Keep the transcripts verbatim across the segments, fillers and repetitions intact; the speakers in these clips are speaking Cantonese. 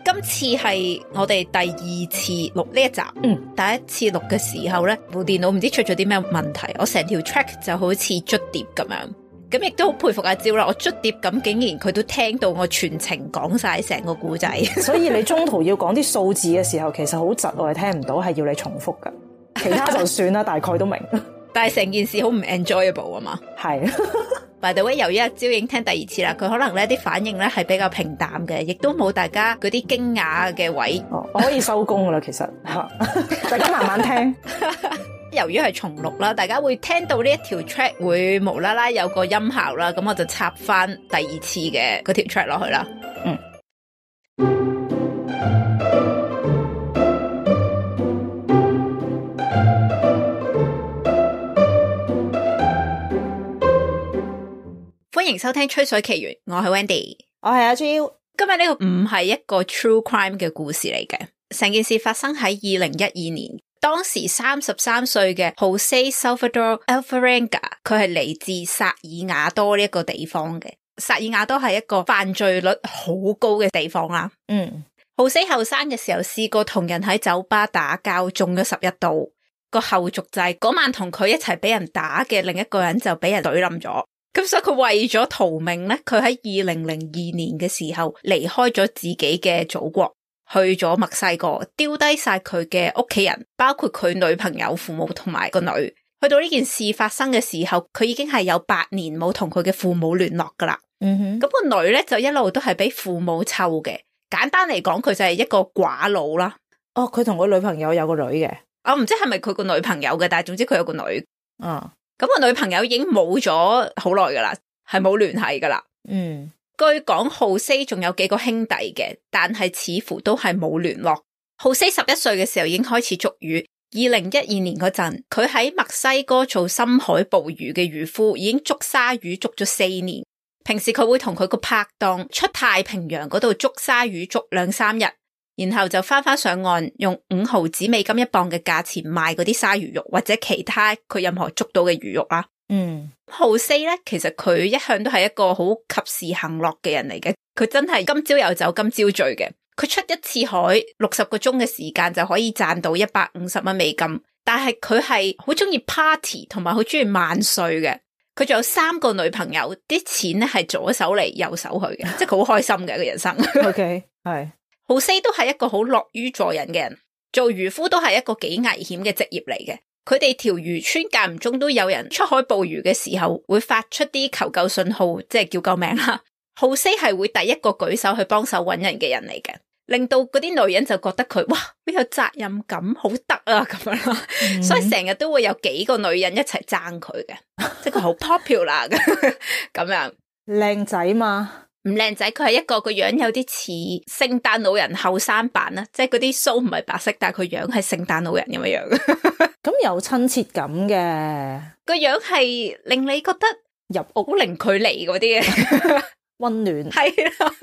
今次係我哋第二次錄呢一集，嗯，第一次錄嘅時候咧，部電腦唔知出咗啲咩問題，我成條 track 就好似捽碟咁樣，咁亦都好佩服阿蕉啦，我捽碟咁竟然佢都聽到我全程講晒成個故仔，所以你中途要講啲數字嘅時候，其實好窒，我係聽唔到，係要你重複噶，其他就算啦，大概都明。但係成件事好唔 enjoyable 啊嘛，係。By the way， 由於阿蕉已經聽第二次啦，佢可能咧啲反應咧係比較平淡嘅，亦都冇大家嗰啲驚訝嘅位。哦，我可以收工噶啦，其實大家慢慢聽。由於係重錄啦，大家會聽到呢一條 track 會無啦啦有個音效啦，咁我就插翻第二次嘅嗰條 track 落去啦。嗯。歡迎收聽吹水奇緣，我係 Wendy， 我係阿 Jill。今日呢個唔係一個 true crime 嘅故事嚟嘅，成件事發生喺二零一二年，當時三十三歲嘅 Jose Salvador Alvarenga， 佢係嚟自薩爾瓦多呢一個地方嘅。薩爾瓦多係一個犯罪率好高嘅地方啦。嗯，Jose後生嘅時候試過同人喺酒吧打交，中咗十一刀。個後續就係嗰晚同佢一齊俾人打嘅另一個人就俾人懟冧咗。咁所以佢為咗逃命咧，佢喺二零零二年嘅時候離開咗自己嘅祖國，去咗墨西哥，丟低晒佢嘅屋企人，包括佢女朋友、父母同埋個女。去到呢件事發生嘅時候，佢已經係有八年冇同佢嘅父母聯絡噶啦。嗯哼，咁個女咧就一路都係俾父母湊嘅。簡單嚟講，佢就係一個寡佬啦。哦，佢同個女朋友有個女嘅，我唔知係咪佢個女朋友嘅，但係總之佢有個女。嗯。咁個女朋友已經冇咗好耐噶啦，係冇聯繫噶啦。嗯，據講Jose仲有幾個兄弟嘅，但係似乎都係冇聯絡。Jose十一歲嘅時候已經開始捉魚。二零一二年嗰陣，佢喺墨西哥做深海捕魚嘅漁夫，已經捉鯊魚捉咗四年。平時佢會同佢個拍檔出太平洋嗰度捉鯊魚捉兩三日，然後就翻返上岸，用五毫子美金一磅嘅價錢賣嗰啲鯊魚肉或者其他佢任何捉到嘅魚肉啦。嗯，Jose咧，其實佢一向都係一個好及時行樂嘅人嚟嘅，佢真係今朝有酒今朝醉嘅。佢出一次海六十個鐘嘅時間就可以賺到一百五十蚊美金，但係佢係好中意 party 同埋好中意萬歲嘅。佢仲有三個女朋友，啲錢咧係左手嚟右手去嘅，即係佢好開心嘅一個人生。OK， 係。Jose 都係一個好樂於助人嘅人，做漁夫都係一個幾危險嘅職業嚟嘅。佢哋條漁村間唔中都有人出海捕魚嘅時候，會發出啲求救信號，即係叫救命啦。Jose 係會第一個舉手去幫手搵人嘅人嚟嘅，令到嗰啲女人就覺得佢哇好有責任感，好得啊咁樣啦。Mm-hmm. 所以成日都會有幾個女人一齊爭佢嘅，即係佢好 popular 嘅咁樣。靚仔嘛？唔靚仔，佢係一個個樣有啲似聖誕老人後生版啦，即係嗰啲鬚唔係白色，但係佢樣係聖誕老人咁樣樣。咁有親切感嘅，個樣係令你覺得入屋零距離嗰啲嘅溫暖。係啦。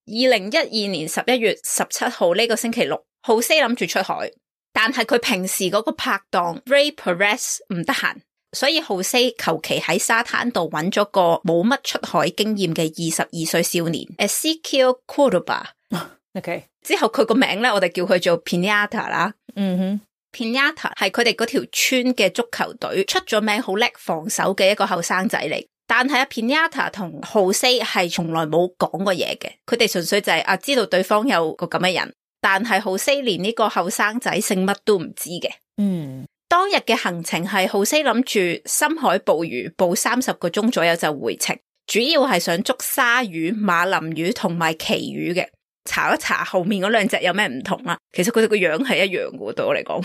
二零一二年十一月十七號呢個星期六，Jose諗住出海，但係佢平時嗰個拍檔 Ray Perez 唔得閒。所以Jose求其喺沙灘度揾咗個冇乜出海經驗嘅二十二歲少年 Ezequiel Cordoba。OK， 之後佢個名咧，我哋叫佢做 Piñata 啦。嗯哼 ，Piñata 係佢哋嗰條村嘅足球隊出咗名好叻防守嘅一個後生仔嚟。但係阿 Piñata 同Jose係從來冇講過嘢嘅，佢哋純粹就係、是、啊知道對方有個咁嘅人，但係Jose連呢個後生仔姓乜都唔知嘅。嗯。當日嘅行程係Jose諗住深海捕魚，捕三十個鐘左右就回程，主要係想捉鯊魚、馬林魚同埋旗魚嘅。查一查後面嗰兩隻有咩唔同啦，其實佢哋個樣係一樣嘅，對我嚟講，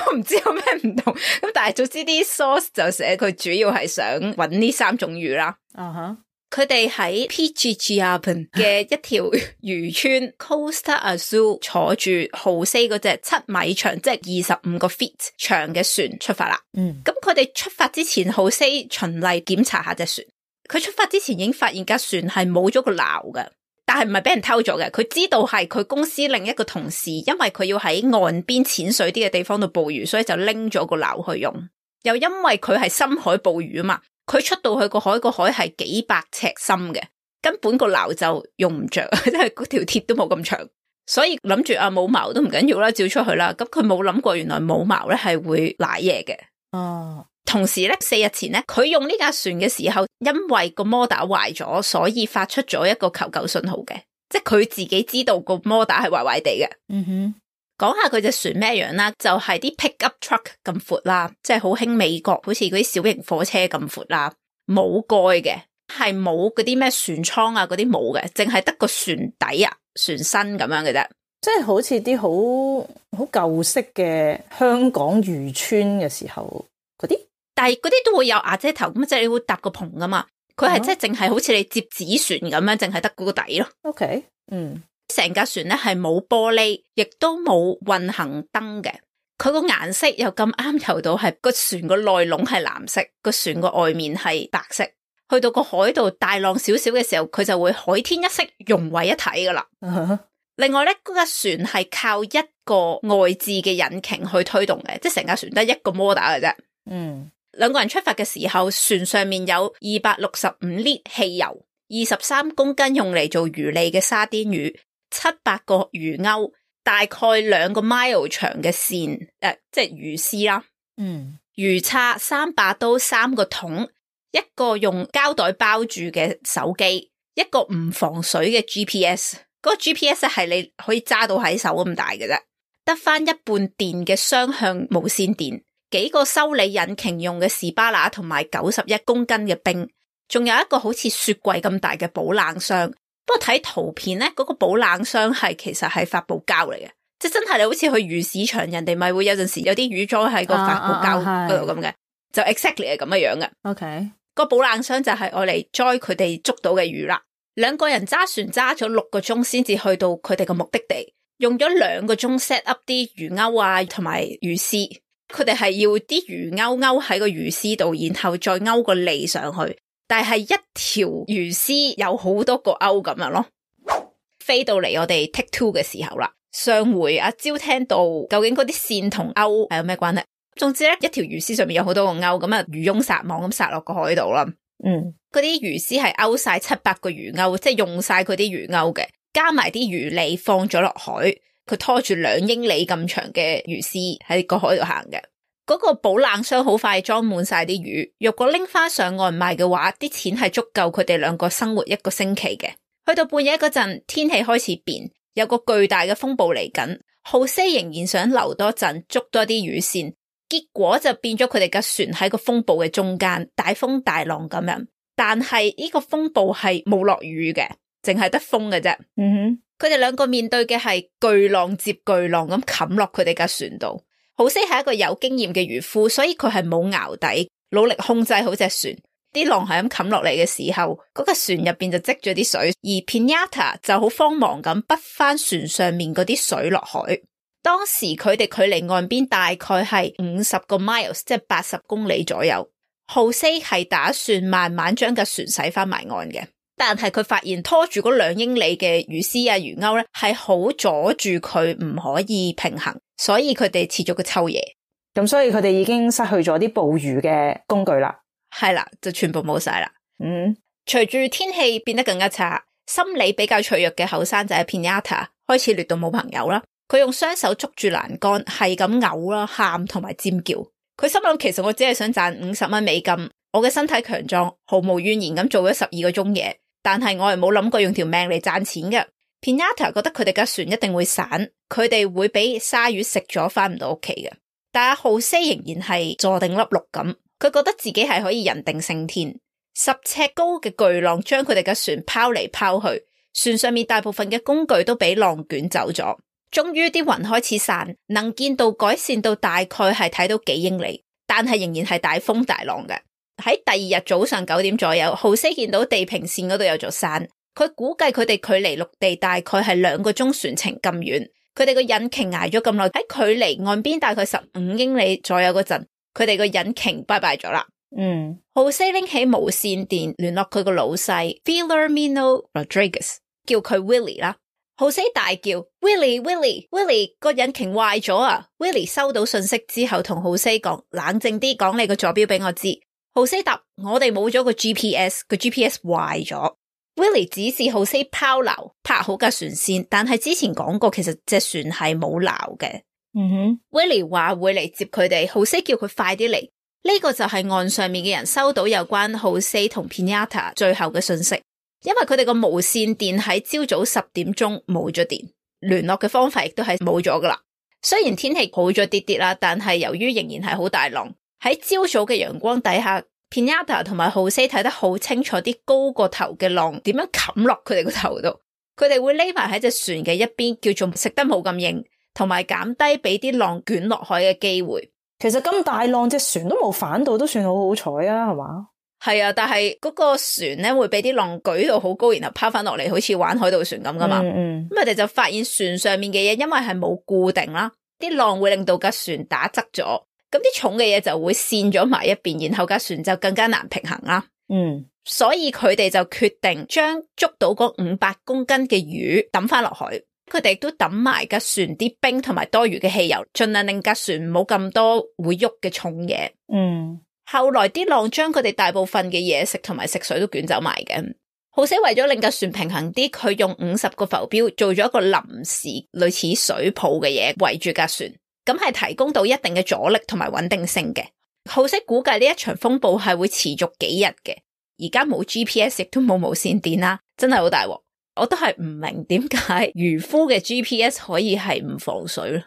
我唔知有咩唔同。咁但係總之啲 source 就寫佢主要係想搵呢三種魚啦。啊哈。佢哋喺 Pichichiapan 嘅一條漁村 Costa Azul 坐住Jose嗰隻七米長，即係二十五個 feet 長嘅船出發啦。嗯，咁佢哋出發之前，Jose循例檢查下隻船。佢出發之前已經發現架船係冇咗個錨嘅，但係唔係俾人偷咗嘅。佢知道係佢公司另一個同事，因為佢要喺岸邊淺水啲嘅地方度捕魚，所以就拎咗個錨去用。又因為佢係深海捕魚啊嘛。佢出到去個海，個海係幾百尺深嘅，根本個錨就用唔着，即係嗰條鐵都冇咁長，所以諗住啊冇錨都唔緊要啦，照出去啦。咁佢冇諗過原來冇錨咧係會瀨嘢嘅。哦，同時咧，四日前咧，佢用呢架船嘅時候，因為個摩打壞咗，所以發出咗一個求救信號嘅，即係佢自己知道個摩打係壞壞地嘅。嗯哼，講下佢隻船咩樣啦，就係、是、啲 pickup truck 咁闊啦，即係好興美國，好似嗰啲小型火車咁闊啦，冇蓋嘅，係冇嗰啲咩船艙啊，嗰啲冇嘅，淨係得個船底啊、船身咁樣嘅啫。即係好似啲好好舊式嘅香港漁村嘅時候嗰啲，但係嗰啲都會有瓦遮頭咁，即係你會搭個篷噶嘛。佢係即係淨係好似你接紙船咁樣，淨係得嗰個底咯。OK，嗯，成架船咧係冇玻璃，亦都冇運行燈嘅。佢個顏色又咁啱游到係個船個內籠係藍色，個船個外面係白色。去到個海度大浪少少嘅時候，佢就會海天一色融為一體噶啦。Uh-huh. 另外咧，嗰架船係靠一個外置嘅引擎去推動嘅，即係成架船得一個摩打嘅啫。嗯，兩個人出發嘅時候，船上面有二百六十五升汽油，二十三公斤用嚟做魚餌嘅沙甸魚，七百個魚鈎，大概兩個 mile 長嘅線，誒、呃，即係魚絲啦。嗯，魚叉，三把刀，三個桶，一個用膠袋包住嘅手機，一個唔防水嘅 G P S。嗰個 G P S 係你可以揸到喺手咁大嘅啫，得翻一半電嘅雙向無線電，幾個修理引擎用嘅士巴拿同埋九十一公斤嘅冰，仲有一個好似雪櫃咁大嘅保冷箱。不過睇圖片咧，嗰、那個保冷箱係其實係發泡膠嚟嘅，即係真係你好似去魚市場，人哋咪會有陣時有啲魚裝喺個發泡膠嗰度咁嘅，就 exactly 係咁嘅樣嘅。OK，個保冷箱就係愛嚟載佢哋捉到嘅魚啦。兩個人揸船揸咗六個鐘先至去到佢哋嘅目的地，用咗兩個鐘 set up 啲魚鈎啊同埋魚絲。佢哋係要啲魚鈎勾喺個魚絲度，然後再勾個脷上去。但係一條魚絲有好多個勾咁樣咯。飛到嚟我哋 take two 嘅時候啦，上回阿蕉聽到究竟嗰啲線同勾係有咩關係？總之咧，一條魚絲上面有好多個勾，咁啊漁翁撒網咁撒落個海度啦。嗯，嗰啲魚絲係勾晒七百個魚鈎，即係用晒佢啲魚鈎嘅，加埋啲魚餌放咗落海，佢拖住兩英里咁長嘅魚絲喺個海度行嘅。嗰個保冷箱好快裝滿晒啲魚，如果拎翻上岸賣嘅話，啲錢係足夠佢哋兩個生活一個星期嘅。去到半夜嗰陣，天氣開始變，有個巨大嘅風暴嚟緊，浩西仍然想留多陣捉多啲魚線。結果就變咗佢哋架船喺個風暴嘅中間，大風大浪咁樣。但係呢個風暴係冇落雨嘅，淨係得風嘅啫。嗯哼，佢哋兩個面對嘅係巨浪接巨浪咁冚落佢哋架船度。浩西係一個有經驗嘅漁夫，所以佢係冇淆底，努力控制好隻船。啲浪係咁冚落嚟嘅時候，嗰架船入邊就積咗啲水，而 Pinata 就好慌忙咁滗翻船上面嗰啲水落海。當時佢哋距離岸邊大概係五十個 miles， 即係八十公里左右。浩西係打算慢慢將架船駛翻埋岸嘅，但係佢發現拖住嗰兩英里嘅魚絲啊魚鈎咧，係好阻住佢唔可以平衡，所以佢哋切咗個抽嘢。咁所以佢哋已經失去咗啲捕魚嘅工具啦。係啦，就全部冇晒啦。嗯，隨住天氣變得更加差，心理比較脆弱嘅後生仔 Pinata 開始劣到冇朋友啦。佢用雙手捉住欄杆，係咁嘔啦、喊同埋尖叫。佢心諗，其實我只係想賺五十蚊美金，我嘅身體強壯，毫無怨言咁做咗十二個鐘嘢，但係我係冇諗過用條命嚟賺錢嘅。Pinata 覺得佢哋架船一定會散，佢哋會俾鯊魚食咗，翻唔到屋企嘅。但阿浩西仍然係坐定粒六咁，佢覺得自己係可以人定勝天。十尺高嘅巨浪將佢哋嘅船拋嚟拋去，船上面大部分嘅工具都俾浪捲走咗。終於啲雲開始散，能見度改善到大概係睇到幾英里，但係仍然係大風大浪嘅。喺第二日早上九點左右，浩西見到地平線嗰度有座山，佢估計佢哋距離陸地大概係兩個鐘船程咁遠。佢哋個引擎挨咗咁耐，喺距離岸邊大概十五英里左右嗰陣，佢哋個引擎拜拜咗啦。嗯，浩西拎起無線電聯絡佢個老細 Filomeno Rodriguez， 叫佢 Willie 啦。浩西大叫 Willie Willie Willie 個引擎壞咗啊 Willie 收到信息之後同浩西講，冷靜啲，講你個坐標俾我知。浩西答，我哋冇咗個 G P S， 個 G P S 壞咗。Willie 指示浩斯拋錨拍好架船先，但係之前講過其實隻船係冇錨嘅。嗯哼 Willie 話會嚟接佢哋，浩斯叫佢快啲嚟。呢、這個就係岸上面嘅人收到有關浩斯同 Pinata 最後嘅信息，因為佢哋個無線電喺朝早十點鐘冇咗電，聯絡嘅方法亦都係冇咗噶啦。雖然天氣好咗啲啲啦，但係由於仍然係好大浪，喺朝早嘅陽光底下 Pinata 同埋浩斯睇得好清楚啲高過頭嘅浪點樣冚落佢哋個頭度，佢哋會匿埋喺隻船嘅一邊，叫做食得冇咁硬，同埋減低俾啲浪捲落海嘅機會。其實咁大浪隻船都冇反到，都算好好彩啊，係嘛？係啊，但係嗰個船咧會俾啲浪舉到好高，然後拋翻落嚟，好似玩海盜船咁噶嘛。嗯嗯。咁佢哋就發現船上面嘅嘢，因為係冇固定啦，啲浪會令到架船打側咗，咁啲重嘅嘢就會跣咗埋一邊，然後架船就更加難平衡啦。嗯，所以佢哋就決定將捉到嗰五百公斤嘅魚抌翻落海。佢哋亦都抌埋架船啲冰同埋多餘嘅汽油，盡量令架船冇咁多會喐嘅重嘢。嗯，後來啲浪將佢哋大部分嘅嘢食同埋食水都捲走埋嘅。浩斯為咗令架船平衡啲，佢用五十個浮標做咗一個臨時類似水泡嘅嘢圍住架船，咁係提供到一定嘅阻力同埋穩定性嘅。浩斯估計呢一場風暴係會持續幾日嘅。而家冇 G P S 亦都冇無線電啦，真係好大鑊。我都係唔明點解漁夫嘅 G P S 可以係唔防水咯，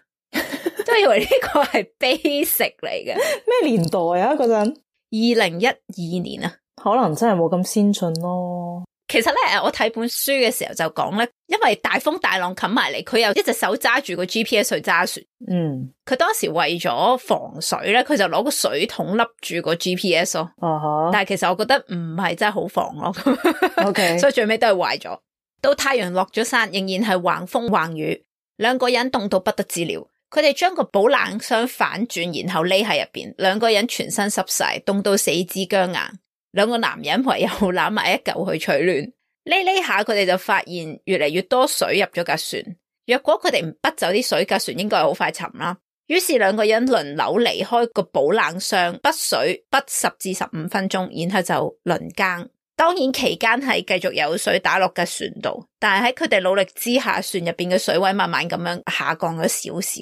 都以為呢個係 basic 嚟嘅。咩年代啊嗰陣？二零一二年啊，可能真係冇咁先進咯。其實咧，我睇本書嘅時候就講咧，因為大風大浪冚埋嚟，佢又一隻手揸住個 G P S 去揸船。嗯，佢當時為咗防水咧，佢就攞個水桶笠住個 G P S 咯。啊哈！但係其實我覺得唔係真係好防咯。OK，所以最尾都係壞咗。到太陽落咗山，仍然係橫風橫雨，兩個人凍到不得之了。佢哋將個保冷箱反轉，然後匿喺入邊，兩個人全身濕晒，凍到四肢僵硬。兩個男人唯有攬埋一嚿去取暖。匿匿下，佢哋就發現越嚟越多水入咗架船。若果佢哋唔滗走啲水，架船應該係好快沉啦。於是兩個人輪流離開個保冷箱，滗水滗十至十五分鐘，然後就輪更。當然期間係繼續有水打落架船度，但係喺佢哋努力之下，船入邊嘅水位慢慢咁樣下降咗少少。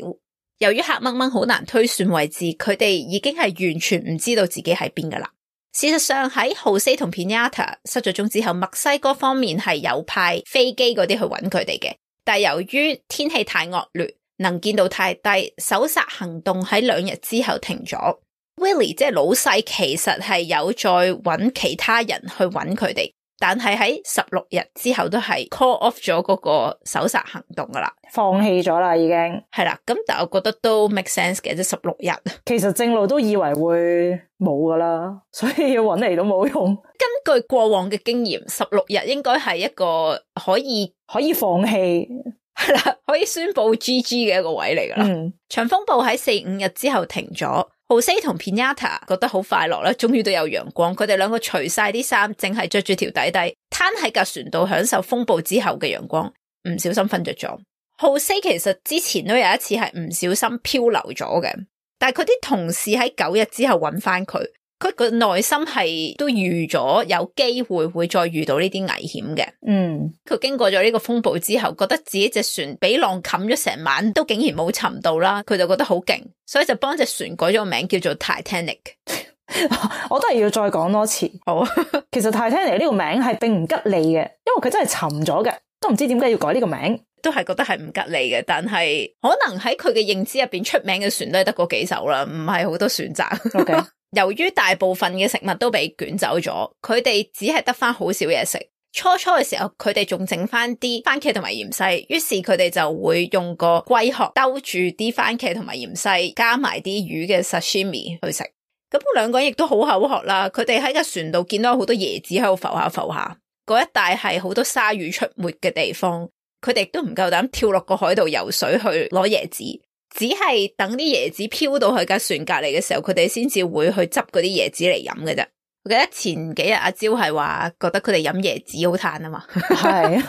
由於黑掹掹好難推算位置，佢哋已經係完全唔知道自己喺邊噶啦。事實上喺浩斯同 Pinata 失咗蹤之後，墨西哥方面係有派飛機嗰啲去揾佢哋嘅，但係由於天氣太惡劣，能見度太低，搜索行動喺兩日之後停咗。Willie 即係老細，其實係有再揾其他人去揾佢哋，但係喺十六日之後都係 call off 咗嗰個搜索行動噶啦，放棄咗啦已經。係啦，咁但係我覺得都 make sense 嘅，即係十六日。其實正路都以為會冇噶啦，所以要揾嚟都冇用。根據過往嘅經驗，十六日應該係一個可以可以放棄，係啦，可以宣布 G G 嘅一個位嚟噶啦。嗯，長風暴喺四五日之後停咗。浩斯同 Pinata 覺得好快樂啦，終於都有陽光。佢哋兩個除晒啲衫，淨係着住條底底，攤喺架船度享受風暴之後嘅陽光。唔小心瞓着咗。浩斯其實之前都有一次係唔小心漂流咗嘅，但係佢啲同事喺九日之後揾翻佢。佢個內心係都預咗有機會會再遇到呢啲危險嘅。嗯，佢經過咗呢個風暴之後，覺得自己隻船俾浪冚咗成晚，都竟然冇沉到啦，佢就覺得好勁，所以就幫隻船改咗個名叫做 Titanic。我都係要再講多次。好，其實 Titanic 呢個名係並唔吉利嘅，因為佢真係沉咗嘅，都唔知點解要改呢個名，都係覺得係唔吉利嘅。但係可能喺佢嘅認知入邊，出名嘅船都係得嗰幾艘啦，唔係好多選擇。OK。由於大部分嘅食物都被捲走咗，佢哋只係得翻好少嘢食。初初嘅時候，佢哋仲整翻啲番茄同埋芫茜，於是佢哋就會用個龜殼兜住啲番茄同埋芫茜，加埋啲魚嘅 sashimi 去食。咁兩個人亦都好口渴啦，佢哋喺個船度見到好多椰子喺度浮下浮下，嗰一帶係好多鯊魚出沒嘅地方，佢哋亦都唔夠膽跳落個海度游水去攞椰子。只係等啲椰子飄到去架船隔籬嘅時候，佢哋先至會去執嗰啲椰子嚟飲嘅啫。我記得前幾日阿蕉係話覺得佢哋飲椰子好嘆啊嘛，係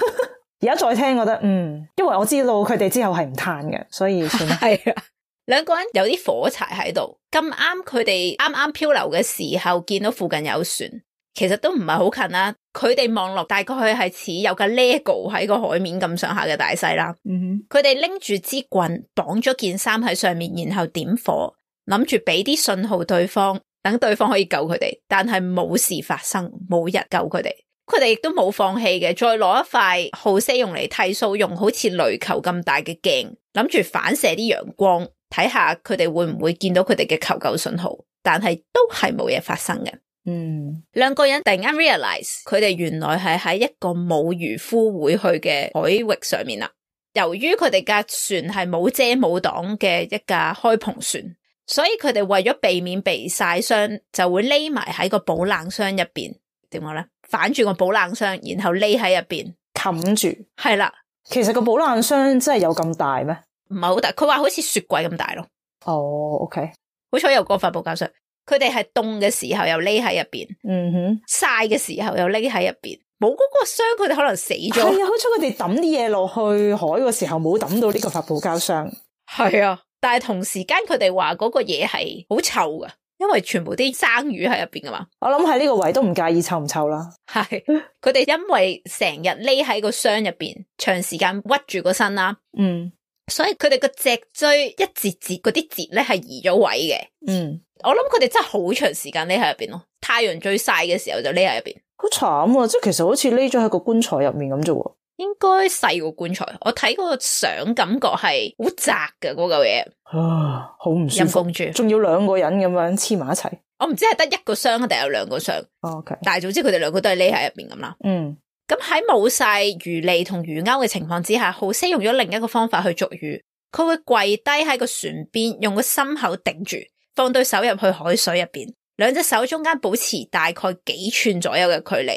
而家再聽覺得嗯，因為我知道佢哋之後係唔嘆嘅，所以算啦。係啊，兩個人有啲火柴喺度，咁啱佢哋啱啱漂流嘅時候見到附近有船，其實都唔係好近啦。佢哋望落大概係似有架 Lego 喺個海面咁上下嘅大細啦。嗯，佢哋拎住支棍綁咗件衫喺上面，然後點火，諗住俾啲信號對方，等對方可以救佢哋。但係冇事發生，冇人救佢哋。佢哋亦都冇放棄嘅，再攞一塊浩西用嚟剃鬚用好似壘球咁大嘅鏡，諗住反射啲陽光，睇下佢哋會唔會見到佢哋嘅求救信號。但係都係冇嘢發生嘅。嗯，兩個人突然間 realize 佢哋原來係喺一個冇漁夫會去嘅海域上面啦。由於佢哋架船係冇遮冇擋嘅一架開篷船，所以佢哋為咗避免被曬傷，就會匿埋喺個保冷箱入邊。點講咧？反住個保冷箱，然後匿喺入邊冚住。係啦，其實個保冷箱真係有咁大咩？唔係好大，佢話好似雪櫃咁大咯。哦 ，OK。好彩有個發泡膠箱，佢哋係凍嘅時候又匿喺入邊，嗯哼，曬嘅時候又匿喺入邊，冇嗰個箱佢哋可能死咗。係啊，好彩佢哋抌啲嘢落去海嘅時候冇抌到呢個發泡膠箱。係啊，但係同時間佢哋話嗰個嘢係好臭噶，因為全部啲生魚喺入邊噶嘛。我諗喺呢個位都唔介意臭唔臭啦。係，佢哋因為成日匿喺個箱入邊，長時間屈住個身啦。嗯。所以佢哋個脊椎一節節嗰啲節咧係移咗位嘅。嗯，我諗佢哋真係好長時間匿喺入邊咯。太陽最曬嘅時候就匿喺入邊。好慘啊！即係其實好似匿咗喺個棺材入面咁啫喎。應該細過棺材。我睇嗰個相感覺係好窄嘅嗰嚿嘢。啊，好唔舒服。陰公豬，仲要兩個人咁樣黐埋一齊。我唔知係得一個箱定有兩個箱。哦 OK，但係總之佢哋兩個都係匿喺入邊咁啦。嗯。咁喺冇晒魚脷同魚鈎嘅情況之下，浩西用咗另一個方法去捉魚。佢會跪低喺個船邊，用個心口頂住，放對手入去海水入邊，兩隻手中間保持大概幾寸左右嘅距離，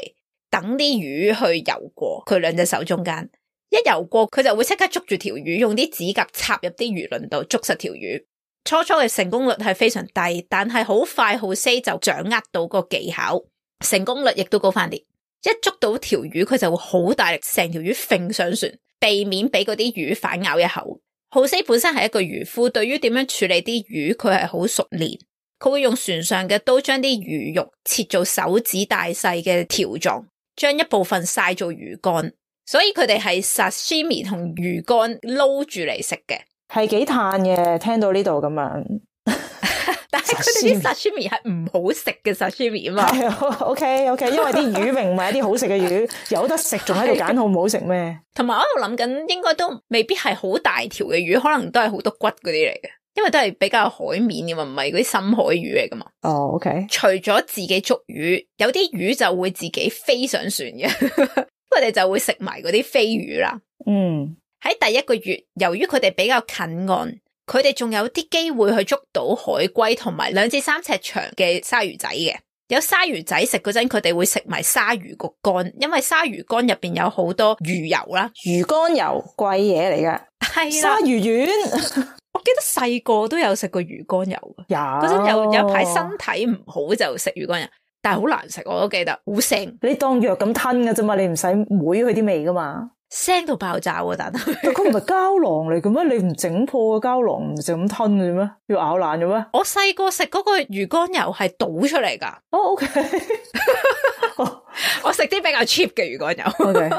等啲魚去游過佢兩隻手中間。一游過，佢就會即刻捉住條魚，用啲指甲插入啲魚鱗度捉實條魚。初初嘅成功率係非常低，但係好快浩西就掌握到個技巧，成功率亦都高翻啲。一捉到條魚，佢就會好大力，成條魚揈上船，避免俾嗰啲魚反咬一口。浩西本身係一個漁夫，對於點樣處理啲魚，佢係好熟練。佢會用船上嘅刀將啲魚肉切做手指大細嘅條狀，將一部分曬做魚乾。所以佢哋係 sashimi 同魚乾撈住嚟食嘅，係幾嘆嘅。聽到呢度咁樣。但係佢哋啲 sashimi 係唔好食嘅 sashimi 啊嘛。係啊 ，OK OK，因為啲魚明唔係一啲好食嘅魚，有得食仲喺度揀好唔好食咩？同埋我喺度諗緊，應該都未必係好大條嘅魚，可能都係好多骨嗰啲嚟嘅，因為都係比較海面嘅嘛，唔係嗰啲深海魚嚟噶嘛。哦、oh，OK。除咗自己捉魚，有啲魚就會自己飛上船嘅，佢哋就會食埋嗰啲飛魚啦。嗯，喺第一個月，由於佢哋比較近岸。佢哋仲有啲機會去捉到海龜同埋兩至三尺長嘅鯊魚仔嘅。有鯊魚仔食嗰陣，佢哋會食埋鯊魚個肝，因為鯊魚肝入邊有好多魚油啦。魚肝油貴嘢嚟㗎，係啦。鯊魚丸，我記得細個都有食過魚肝油嘅。有嗰陣有有一排身體唔好就食魚肝油，但係好難食，我都記得好腥。你當藥咁吞㗎啫嘛，你唔使妹佢啲味噶嘛。腥到爆炸喎，但係佢唔係膠囊嚟嘅咩？你唔整破個膠囊，唔就咁吞嘅咩？要咬爛嘅咩？我細個食嗰個魚肝油係倒出嚟噶。哦、oh, ，OK 。我食啲比較 cheap 嘅魚肝油。OK。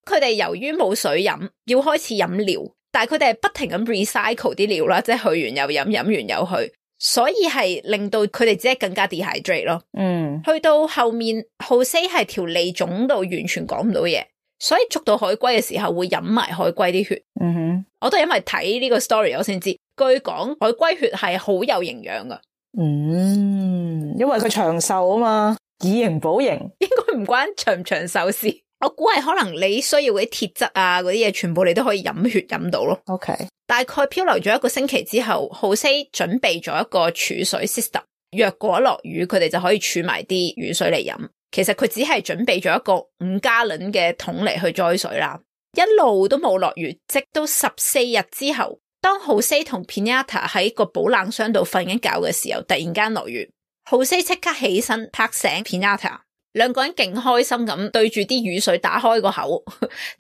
佢哋由於冇水飲，要開始飲料，但係佢哋係不停咁 recycle 啲料啦，即係去完又飲，飲完又去，所以係令到佢哋只係更加 dehydrate 咯。嗯。去到後面，浩西係條脷腫到完全講唔到嘢。所以捉到海龜嘅時候會飲埋海龜啲血。嗯哼，我都係因為睇呢個 story 我先知，據講海龜血係好有營養噶。嗯，因為佢長壽啊嘛，以形補形，應該唔關長唔長壽事。我估係可能你需要嗰啲鐵質啊，嗰啲嘢全部你都可以飲血飲到咯。OK， 大概漂流咗一個星期之後，浩西準備咗一個儲水 system， 若果落雨，佢哋就可以儲埋啲雨水嚟飲。其實佢只係準備咗一個五加侖嘅桶嚟去載水啦，一路都冇落雨，直到十四日之後，當浩西同 Pinata 喺個保冷箱度瞓緊覺嘅時候，突然間落雨，浩西即刻起身拍醒 Pinata， 兩個人勁開心咁對住啲雨水打開個口，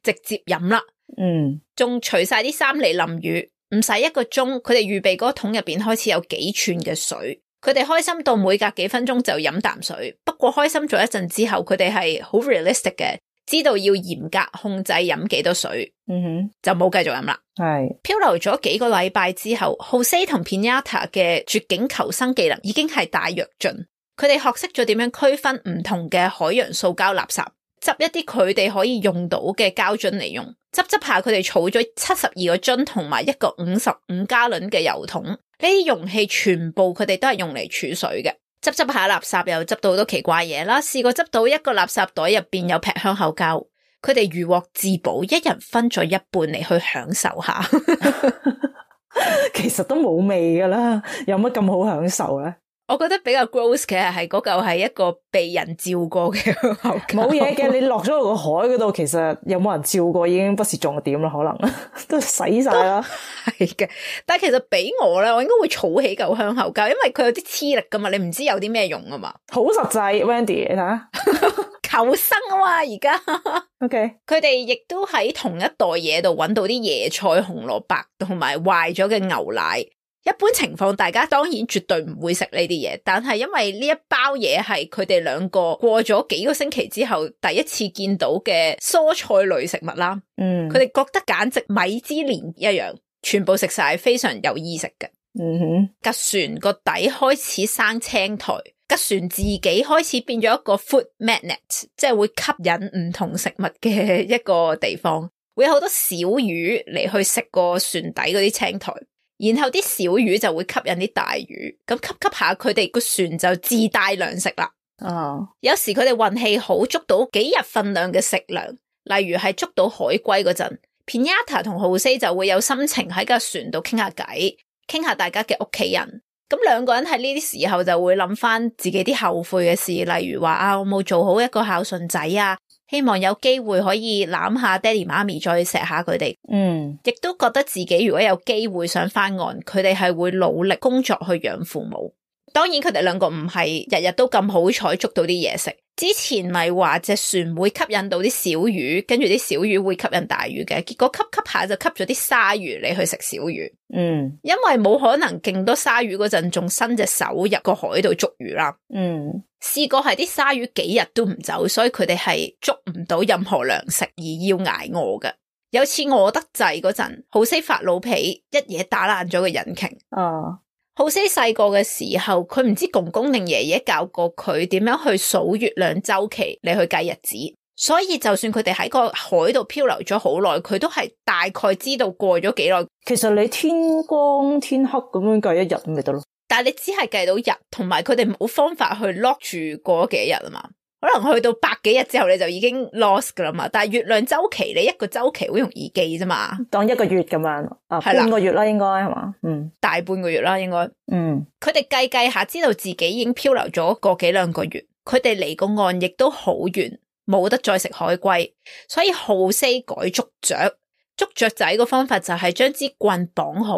直接飲啦。嗯，仲除晒啲衫嚟淋雨，唔使一個鐘，佢哋預備嗰個桶入邊開始有幾寸嘅水。佢哋開心到每隔幾分鐘就飲啖水，不過開心咗一陣之後，佢哋係好 realistic 嘅，知道要嚴格控制飲幾多水，嗯哼，就冇繼續飲啦。係漂流咗幾個禮拜之後 ，Jose 同 Piñata 嘅絕境求生技能已經係大躍進，佢哋學識咗點樣區分唔同嘅海洋塑膠垃圾，執一啲佢哋可以用到嘅膠樽嚟用，執執下佢哋儲咗七十二個樽同埋一個五十五加侖嘅油桶。呢啲容器全部佢哋都係用嚟儲水嘅，執執下垃圾又執到好多奇怪嘢啦。試過執到一個垃圾袋入邊有劈香口膠，佢哋如獲至寶，一人分咗一半嚟去享受下。其實都冇味噶啦，有乜咁好享受咧？我覺得比較 gross 嘅係嗰嚿係一個被人照過嘅香口膠。冇嘢嘅，你落咗落個海嗰度，其實有冇人照過已經不是重點啦，可能都洗晒啦。係嘅，但係其實俾我咧，我應該會儲起嚿香口膠，因為佢有啲黐力噶嘛，你唔知有啲咩用啊嘛。好實際 ，Wendy， 你睇下。求生啊嘛，而家。OK，佢哋亦都喺同一袋嘢度揾到啲椰菜、紅蘿蔔同埋壞咗嘅牛奶。一般情況，大家當然絕對唔會食呢啲嘢，但係因為呢一包嘢係佢哋兩個過咗幾個星期之後第一次見到嘅蔬菜類食物啦，嗯，佢哋覺得簡直米芝蓮一樣，全部食晒，非常有意食嘅。嗯哼，架船個底開始生青苔，架船自己開始變咗一個 food magnet， 即係會吸引唔同食物嘅一個地方，會有好多小魚嚟去食個船底嗰啲青苔。然後啲小魚就會吸引啲大魚，咁吸吸下佢哋個船就自帶糧食啦。哦，有時佢哋運氣好，捉到幾日份量嘅食糧，例如係捉到海龜嗰陣 Piñata 同 Jose 就會有心情喺架船度傾下偈，傾下大家嘅屋企人。咁兩個人喺呢啲時候就會諗翻自己啲後悔嘅事，例如話啊，我冇做好一個孝順仔啊，希望有機會可以攬下爹哋媽咪再錫下佢哋。嗯，亦都覺得自己如果有機會想翻岸，佢哋係會努力工作去養父母。當然佢哋兩個唔係日日都咁好彩捉到啲嘢食。之前咪話隻船會吸引到啲小魚，跟住啲小魚會吸引大魚嘅，結果吸吸下就吸咗啲鯊魚嚟去食小魚。嗯，因為冇可能勁多鯊魚嗰陣仲伸隻手入個海度捉魚啦。嗯，試過係啲鯊魚幾日都唔走，所以佢哋係捉唔到任何糧食而要挨餓嘅。有次餓得滯嗰陣，Jose發老脾，一嘢打爛咗個引擎。哦，Jose細個嘅時候，佢唔知公公定爺爺教過佢點樣去數月亮週期嚟去計日子，所以就算佢哋喺個海度漂流咗好耐，佢都係大概知道過咗幾耐。其實你天光天黑咁樣計一日咁咪得咯，但係你只係計到日，同埋佢哋冇方法去 lock 住過咗幾日啊嘛。可能去到百幾日之後你就已經 lost 噶啦嘛，但係月亮周期你一個周期好容易記啫嘛，當一個月咁樣啊，半個月啦應該係嘛，嗯，大半個月啦應該，嗯，佢哋計計下知道自己已經漂流咗個幾兩個月，佢哋離個岸亦都好遠，冇得再食海龜，所以Jose改捉雀，捉雀仔個方法就係將支棍綁好。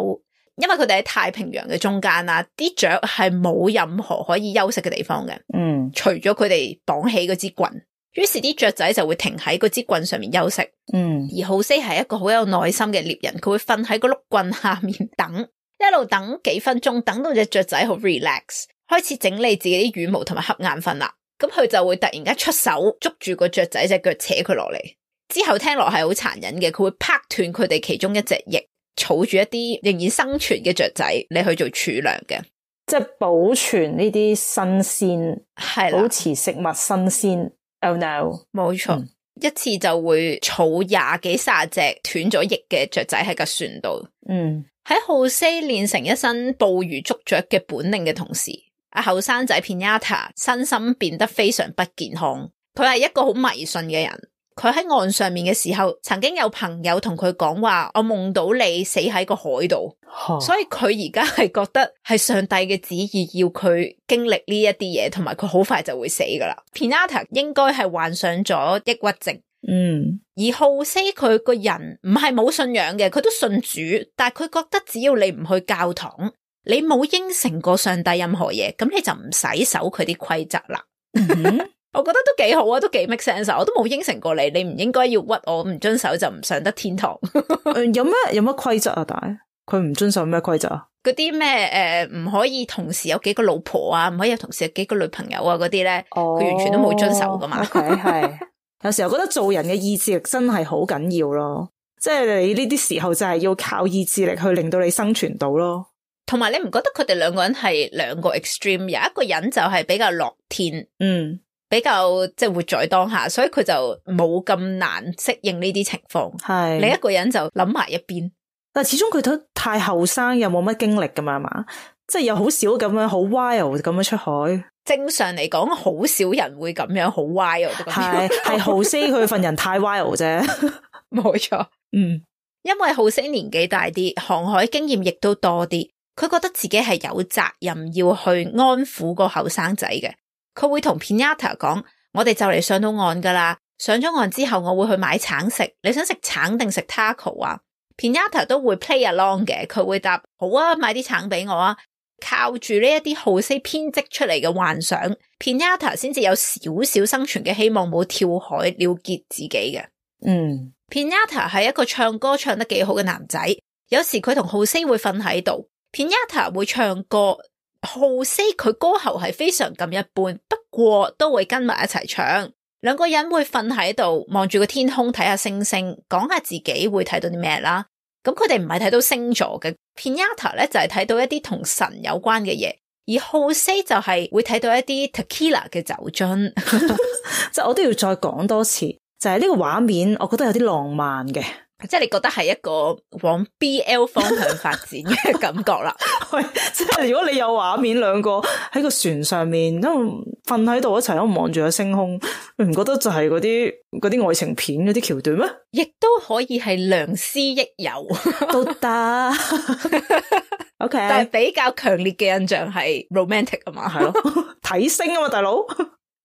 因為佢哋喺太平洋嘅中間啦，啲雀係冇任何可以休息嘅地方嘅，嗯，除咗佢哋綁起嗰支棍，於是啲雀仔就會停喺嗰支棍上面休息，嗯，而Jose係一個好有耐心嘅獵人，佢會瞓喺個碌棍下面等，一路等幾分鐘，等到隻雀仔好 relax， 開始整理自己啲羽毛同埋瞌眼瞓啦，咁佢就會突然間出手捉住個雀仔隻腳扯佢落嚟，之後聽落係好殘忍嘅，佢會拍斷佢哋其中一隻翼。儲住一啲仍然生存嘅雀仔，你去做儲糧嘅，即係保存呢啲新鮮，係啦，保持食物新鮮。Oh no，冇錯，嗯、一次就會儲廿幾卅隻斷咗翼嘅雀仔喺架船度。嗯，喺Jose練成一身捕魚捉雀嘅本領嘅同時，阿後生仔Piñata身心變得非常不健康。佢係一個好迷信嘅人。佢喺岸上面嘅時候，曾經有朋友同佢講話，我夢到你死喺個海度，所以佢而家係覺得係上帝嘅旨意要佢經歷呢一啲嘢，同埋佢好快就會死噶啦。Piñata應該係患上咗抑鬱症，嗯，而Jose佢個人唔係冇信仰嘅，佢都信主，但係佢覺得只要你唔去教堂，你冇應承過上帝任何嘢，咁你就唔使守佢啲規則啦。嗯我覺得都幾好啊，都幾 make sense。我都冇應承過你，你唔應該要屈我，唔遵守就唔上得天堂。呃、有咩有乜規則啊？大佢唔遵守咩規則啊？嗰啲咩誒唔可以同時有幾個老婆啊，唔可以有同時有幾個女朋友啊嗰啲咧，佢、oh, 完全都冇遵守噶嘛。OK 係，有時候覺得做人嘅意志力真係好緊要咯，即係你呢啲時候就係要靠意志力去令到你生存到咯。同埋你唔覺得佢哋兩個人係兩個 extreme？ 有一個人就係比較樂天，嗯，比較即係活在當下，所以佢就冇咁難適應呢啲情況。係另一個人就諗埋一邊。但係始終佢都太後生，又冇乜經歷噶嘛，係嘛？即係又好少咁樣好 wild 咁樣出海。正常嚟講，好少人會咁樣好 wild。係係浩斯佢份人太 wild 啫，冇錯。嗯，因為浩斯年紀大啲，航海經驗亦都多啲，佢覺得自己係有責任要去安撫個後生仔嘅。佢會同 Pinata 講：我哋就嚟上到岸噶啦，上咗岸之後我會去買橙食，你想食橙定食 taco 啊？Pinata 都會 play along 嘅，佢會答好啊，買啲橙俾我啊。靠住呢一啲浩斯編織出嚟嘅幻想 ，Pinata 先至有少少生存嘅希望，冇跳海了結自己嘅。嗯 ，Pinata 係一個唱歌唱得幾好嘅男仔，有時佢同浩斯會瞓喺度 ，Pinata 會唱歌，浩斯佢歌喉係非常咁一般，不過都會跟埋一齊唱。兩個人會瞓喺度望住個天空睇下星星，講下自己會睇到啲咩啦。咁佢哋唔係睇到星座嘅 Pinata 咧，就係、是、睇到一啲同神有關嘅嘢，而浩斯就係會睇到一啲 tequila 嘅酒樽。即係我都要再講多次，就係、是、呢個畫面，我覺得有啲浪漫嘅。即係你覺得係一個往 B L 方向發展嘅感覺啦。即係如果你有畫面兩個喺個船上面，因為瞓喺度一齊咁望住個星空，你唔覺得就係嗰啲嗰啲愛情片嗰啲橋段咩？亦都可以係良師益友都得。OK， 但係比較強烈嘅印象係 romantic 啊嘛，係咯，睇星啊嘛，大佬。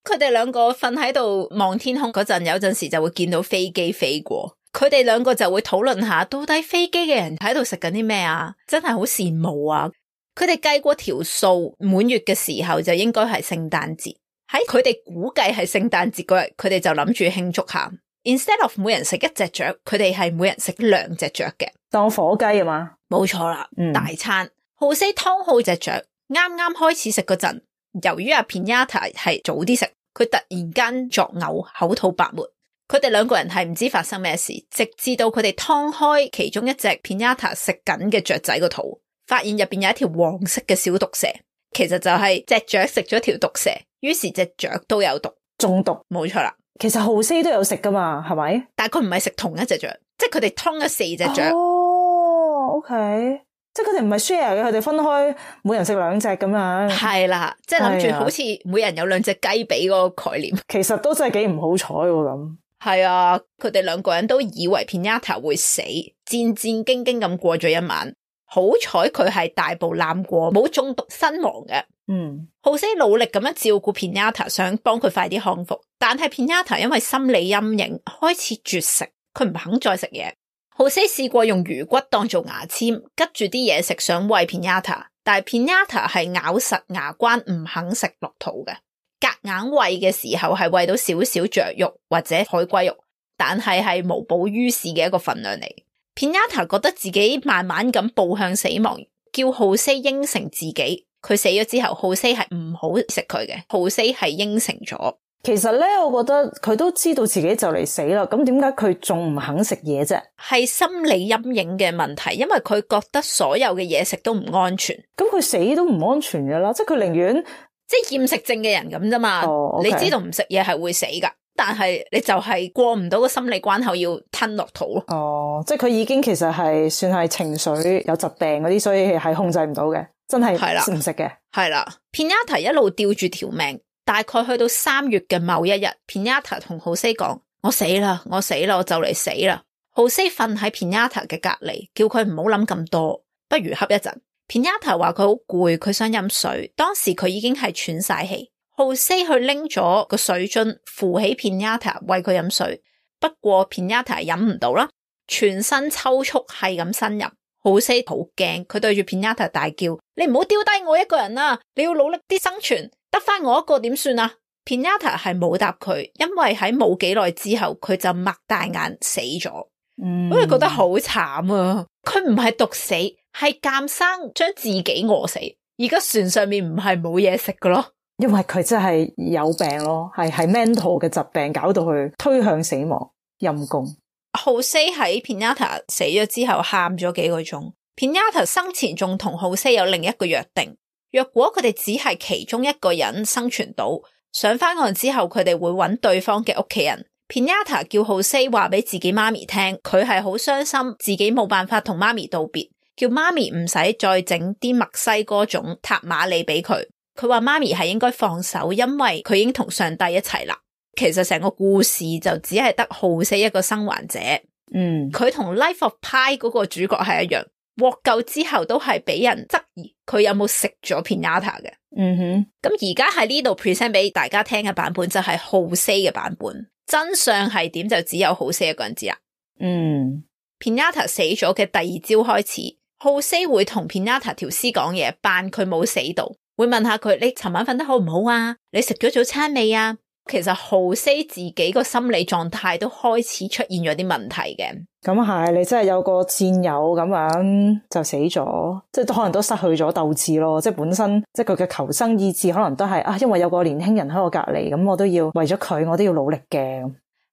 佢哋兩個瞓喺度望天空嗰陣，有陣時就會見到飛機飛過。佢哋兩個就會討論下，到底飛機嘅人喺度食緊啲咩啊？真係好羨慕啊！佢哋計過條數，滿月嘅時候就應該係聖誕節。喺佢哋估計係聖誕節嗰日，佢哋就諗住慶祝下。Instead of 每人食一隻雀，佢哋係每人食兩隻雀嘅，當火雞啊嘛。冇錯啦，嗯、大餐。浩斯湯好隻雀，啱啱開始食嗰陣，由於阿 Pinata 係早啲食，佢突然間作嘔，口吐白沫。佢哋兩個人係唔知發生咩事，直至到佢哋劏開其中一隻 Pinata 食緊嘅雀仔個肚，發現入邊有一條黃色嘅小毒蛇，其實就係隻雀食咗條毒蛇，於是隻雀都有毒，中毒。冇錯啦。其實浩斯都有食噶嘛，係咪？但係佢唔係食同一隻雀，即係佢哋劏咗四隻雀。哦 ，OK，即係佢哋唔係 share 嘅，佢哋分開，每人食兩隻咁樣。係啦，即係諗住好似每人有兩隻雞髀嗰個概念。其實都真係幾唔好彩咁。係啊，佢哋兩個人都以為 Pinata 會死，戰戰兢兢咁過咗一晚。好彩佢係大步攬過，冇中毒身亡嘅。嗯，浩斯努力咁樣照顧 Pinata， 想幫佢快啲康復，但係 Pinata 因為心理陰影開始絕食，佢唔肯再食嘢。浩斯試過用魚骨當做牙籤，拮住啲嘢食想餵 Pinata， 但係 Pinata 係咬實牙關唔肯食落肚嘅。夾硬餵嘅時候係餵到少少雀肉或者海龜肉，但係係無補於事嘅一個份量嚟。Pinata 覺得自己慢慢咁步向死亡，叫浩斯應承自己，佢死咗之後，浩斯係唔好食佢嘅。浩斯係應承咗。其實咧，我覺得佢都知道自己就嚟死啦，咁點解佢仲唔肯食嘢啫？係心理陰影嘅問題，因為佢覺得所有嘅嘢食都唔安全。咁佢死都唔安全噶啦，即係佢寧願。即係厭食症嘅人咁啫嘛， oh, okay. 你知道唔食嘢係會死噶，但係你就係過唔到個心理關口，要吞落肚咯。哦，oh, 即係佢已經其實係算係情緒有疾病嗰啲，所以係控制唔到嘅，真係唔食嘅。係啦 ，Pinata 一路吊住條命，大概去到三月嘅某一日 ，Pinata 同浩斯講：我死啦，我死啦，我就嚟死啦。浩斯瞓喺 Pinata 嘅隔籬，叫佢唔好諗咁多，不如瞌一陣。Pinata 話佢好攰，佢想飲水。當時佢已經係喘晒氣，浩斯去拎咗個水樽扶起 Pinata 餵佢飲水。不過 Pinata 飲唔到啦，全身抽搐係咁呻吟。浩斯好驚，佢對住 Pinata 大叫：你唔好丟低我一個人啊！你要努力啲生存，得返我一個點算啊？ Pinata 係冇答佢，因為喺冇幾耐之後佢就擘大眼死咗。嗯，我覺得好慘啊！佢唔係毒死，係監生將自己餓死，而家船上面唔係冇嘢食㗎咯，因為佢真係有病咯，係係 mental 嘅疾病搞到佢推向死亡，陰公。Jose 喺 Pinata 死咗之後喊咗幾個鐘。Pinata 生前仲同 Jose 有另一個約定，若果佢哋只係其中一個人生存到，上翻岸之後佢哋會揾對方嘅屋企人。Pinata 叫 Jose 話俾自己媽咪聽，佢係好傷心，自己冇辦法同媽咪道別，叫媽咪唔使再整啲墨西哥種塔馬里俾佢。佢話媽咪係應該放手，因為佢已經同上帝一齊啦。其實成個故事就只係得 Jose 一個生還者。嗯，佢同 Life of Pi 嗰個主角係一樣，獲救之後都係俾人質疑佢有冇食咗 Pinata 嘅。嗯哼，咁而家喺呢度 present 俾大家聽嘅版本就係 Jose 嘅版本，真相係點就只有 Jose 一個人知啦。嗯 Pinata 死咗嘅第二朝開始， Jose 會同 Pinata 條屍講嘢，扮佢冇死到，會問下佢，你尋晚瞓得好唔好啊？你食咗早餐未啊？其實 Jose 自己個心理狀態都開始出現咗啲問題嘅。咁係，你真係有個戰友咁樣就死咗，即係都可能都失去咗鬥志咯。即係本身即係佢嘅求生意志可能都係啊，因為有個年輕人喺我隔籬，咁我都要為咗佢，我都要努力嘅。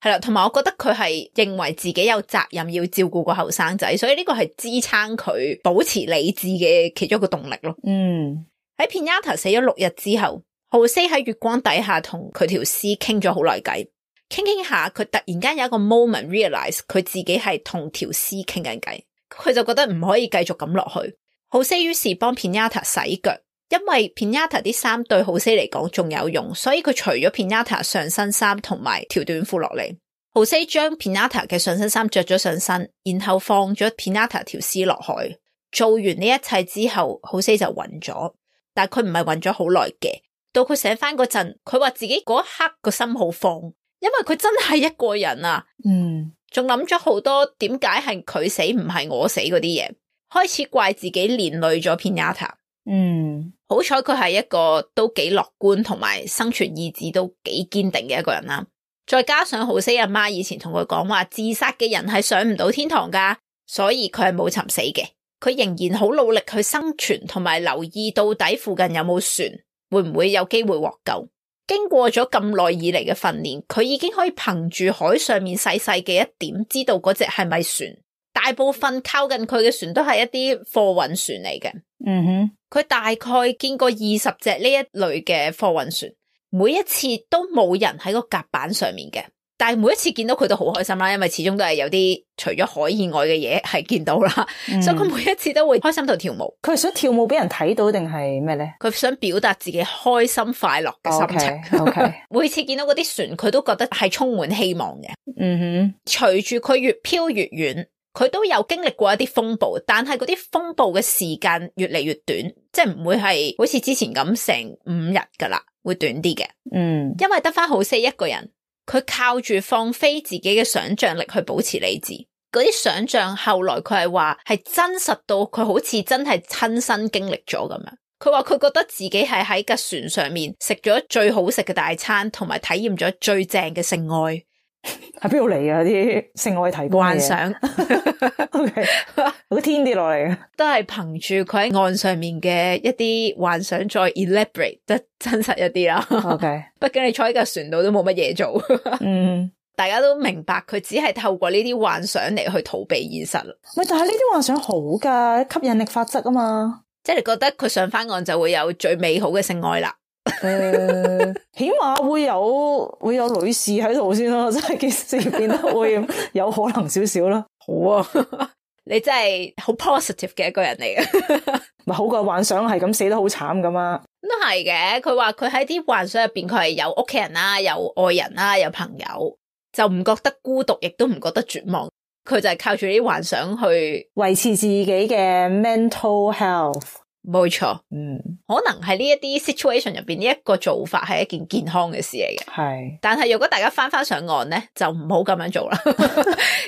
係啦，同埋我覺得佢係認為自己有責任要照顧個後生仔，所以呢個係支撐佢保持理智嘅其中一個動力咯。嗯，喺 Pinata 死咗六日之後，Jose 喺月光底下同佢條屍傾咗好耐偈，傾傾下佢突然間有一個 moment realize 佢自己係同條屍傾緊偈，佢就覺得唔可以繼續咁落去。Jose 於是幫 Pinata 洗腳，因為 Pinata 啲衫對 Jose 嚟講仲有用，所以佢除咗 Pinata 上身衫同埋條短褲落嚟。Jose 將 Pinata 嘅上身衫着咗上身，然後放咗 Pinata 條屍落海。做完呢一切之後 Jose 就暈咗，但係佢唔係暈咗好耐嘅。到佢醒翻嗰陣，佢話自己嗰一刻個心好慌，因為佢真係一個人啊。嗯，仲諗咗好多點解係佢死唔係我死嗰啲嘢，開始怪自己連累咗 Pinata。嗯，好彩佢係一個都幾樂觀同埋生存意志都幾堅定嘅一個人啦。再加上 Jose 阿媽以前同佢講話，自殺嘅人係上唔到天堂噶，所以佢係冇尋死嘅。佢仍然好努力去生存，同埋留意到底附近有冇船，會唔會有機會獲救。經過咗咁耐以嚟嘅訓練，佢已經可以憑住海上面細細嘅一點知道嗰隻係咪船。大部分靠近佢嘅船都係一啲貨運船嚟嘅。嗯哼，佢大概見過二十隻呢一類嘅貨運船，每一次都冇人喺個甲板上面嘅，但係每一次見到佢都好開心啦，因為始終都係有啲除咗海以外嘅嘢係見到啦，嗯、所以佢每一次都會開心到跳舞。佢係想跳舞俾人睇到定係咩咧？佢想表達自己開心快樂嘅心情。OK， okay. 每次見到嗰啲船，佢都覺得係充滿希望嘅。嗯哼，隨住佢越飄越遠，佢都有經歷過一啲風暴，但係嗰啲風暴嘅時間越嚟越短，即係唔會係好似之前咁成五日噶啦，會短啲嘅。嗯，因為得翻Jose一個人，佢靠住放飛自己嘅想象力去保持理智。嗰啲想象後來佢係話係真實到佢好似真係親身經歷咗咁樣。佢話佢覺得自己係喺架船上面食咗最好食嘅大餐，同埋體驗咗最正嘅性愛。喺邊度嚟啊？啲性愛提供幻想，OK，好天跌落嚟嘅，都係憑住佢喺岸上面嘅一啲幻想再 elaborate 得真實一啲啦。OK，畢竟你坐喺架船度都冇乜嘢做。嗯，大家都明白佢只係透過呢啲幻想嚟去逃避現實。喂，但係呢啲幻想好噶，吸引力法則啊嘛，即係你覺得佢上翻岸就會有最美好嘅性愛啦。誒、呃，起碼會有會有女士喺度先咯，即係件事變得會有可能少少啦。好啊，你真係好 positive 嘅一個人嚟嘅，咪好過幻想係咁死得好慘噶嘛。都係嘅。佢話佢喺啲幻想入邊，佢係有屋企人啦，有愛人啦，有朋友，就唔覺得孤獨，亦都唔覺得絕望。佢就係靠住啲幻想去維持自己嘅 mental health。冇錯，嗯，可能係呢一啲 situation 入邊呢一個做法係一件健康嘅事嚟嘅。係，但係如果大家翻翻上岸咧，就唔好咁樣做啦，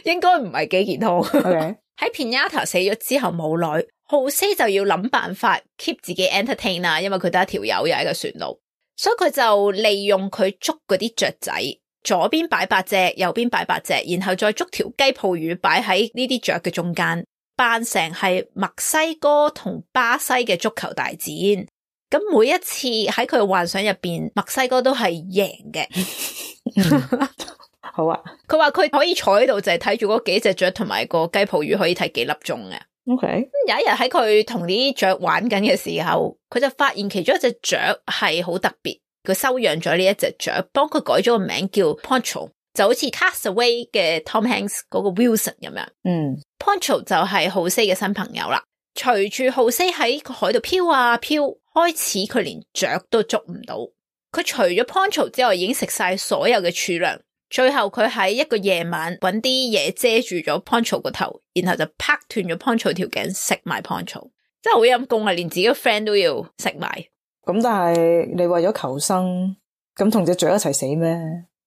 應該唔係幾健康。Okay. 喺 Pinata 死咗之後冇耐，Jose 就要諗辦法 keep 自己 entertain 啦，因為佢得一條友又喺個船度，所以佢就利用佢捉嗰啲雀仔，左邊擺八隻，右邊擺八隻，然後再捉條雞泡魚擺喺呢啲雀嘅中間。扮成係墨西哥同巴西嘅足球大戰。咁每一次喺佢嘅幻想入邊，墨西哥都係贏嘅。嗯、好啊。佢話佢可以坐喺度就係睇住嗰幾隻雀同埋個雞泡魚可以睇幾粒鐘嘅。OK。有一日喺佢同呢啲雀玩緊嘅時候，佢就發現其中一隻雀係好特別，佢收養咗呢一隻雀，幫佢改咗個名叫 Poncho， 就好似 Castaway 嘅 Tom Hanks 嗰個 Wilson 咁樣。嗯 Poncho 就係浩西嘅新朋友啦。隨住浩西喺個海度飄啊飄，開始佢連雀都捉唔到。佢除咗 Poncho 之外，已經食晒所有嘅儲糧。最後佢喺一個夜晚搵啲嘢遮住咗 Poncho 個頭，然後就拍斷咗 Poncho 條頸，食埋 Poncho。真係好陰功啊！連自己個 friend 都要食埋。咁但係你為咗求生，咁同隻雀一齊死咩？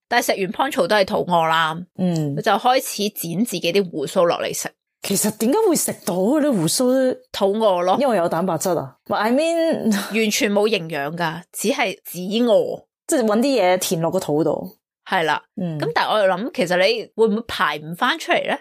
但係食完 Poncho 都係肚餓啦。嗯，佢就開始剪自己啲鬍鬚落嚟食。其實點解會食到嗰啲鬍鬚？肚餓咯，因為有蛋白質啊。I mean 完全冇營養噶，只係只餓，即係搵啲嘢填落個肚度。係啦，嗯，咁但係我又諗，其實你會唔會排唔翻出嚟咧？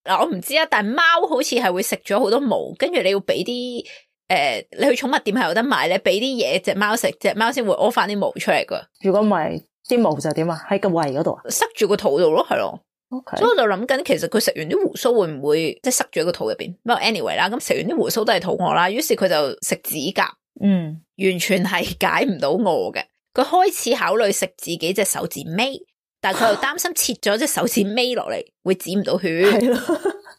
嗱，我唔知啊，但係貓好似係會食咗好多毛，跟住你要俾啲誒，你去寵物店係有得買咧，俾啲嘢隻貓食，隻貓先會屙翻啲毛出嚟噶。如果唔係，啲毛就點啊？喺個胃嗰度啊？塞住個肚度咯，係咯。Okay. 所以我就諗緊，其實佢食完啲鬍鬚會唔會即係塞住喺個肚入邊？不過 anyway 啦，咁食完啲鬍鬚都係肚餓啦，於是佢就食指甲，嗯，完全係解唔到餓嘅。佢開始考慮食自己隻手指尾，但係佢又擔心切咗隻手指尾落嚟會止唔到血，係咯。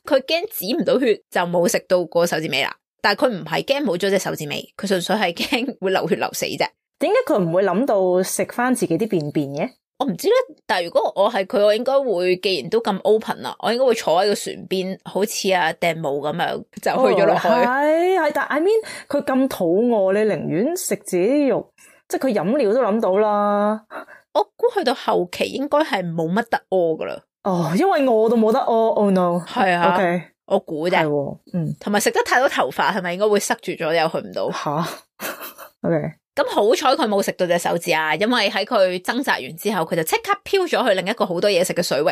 佢驚止唔到血就冇食到個手指尾啦。但係佢唔係驚冇咗隻手指尾，佢純粹係驚會流血流死啫。點解佢唔會諗到食翻自己啲便便嘅？我唔知咧，但係如果我係佢，我應該會，既然都咁 open 啦，我應該會坐喺個船邊，好似阿掟帽咁樣就去咗落去。係係、哦，但係 I mean 佢咁肚餓，你寧願食自己啲肉，即係佢飲料都諗到啦。我估去到後期應該係冇乜得屙噶啦。哦，因為餓到冇得屙。Oh no！係啊 ，OK，我估啫。係，嗯，同埋食得太多頭髮，係咪應該會塞住咗又去唔到？吓，OK。咁好彩佢冇食到隻手指啊，因為喺佢掙扎完之後，佢就即刻飄咗去另一個好多嘢食嘅水域，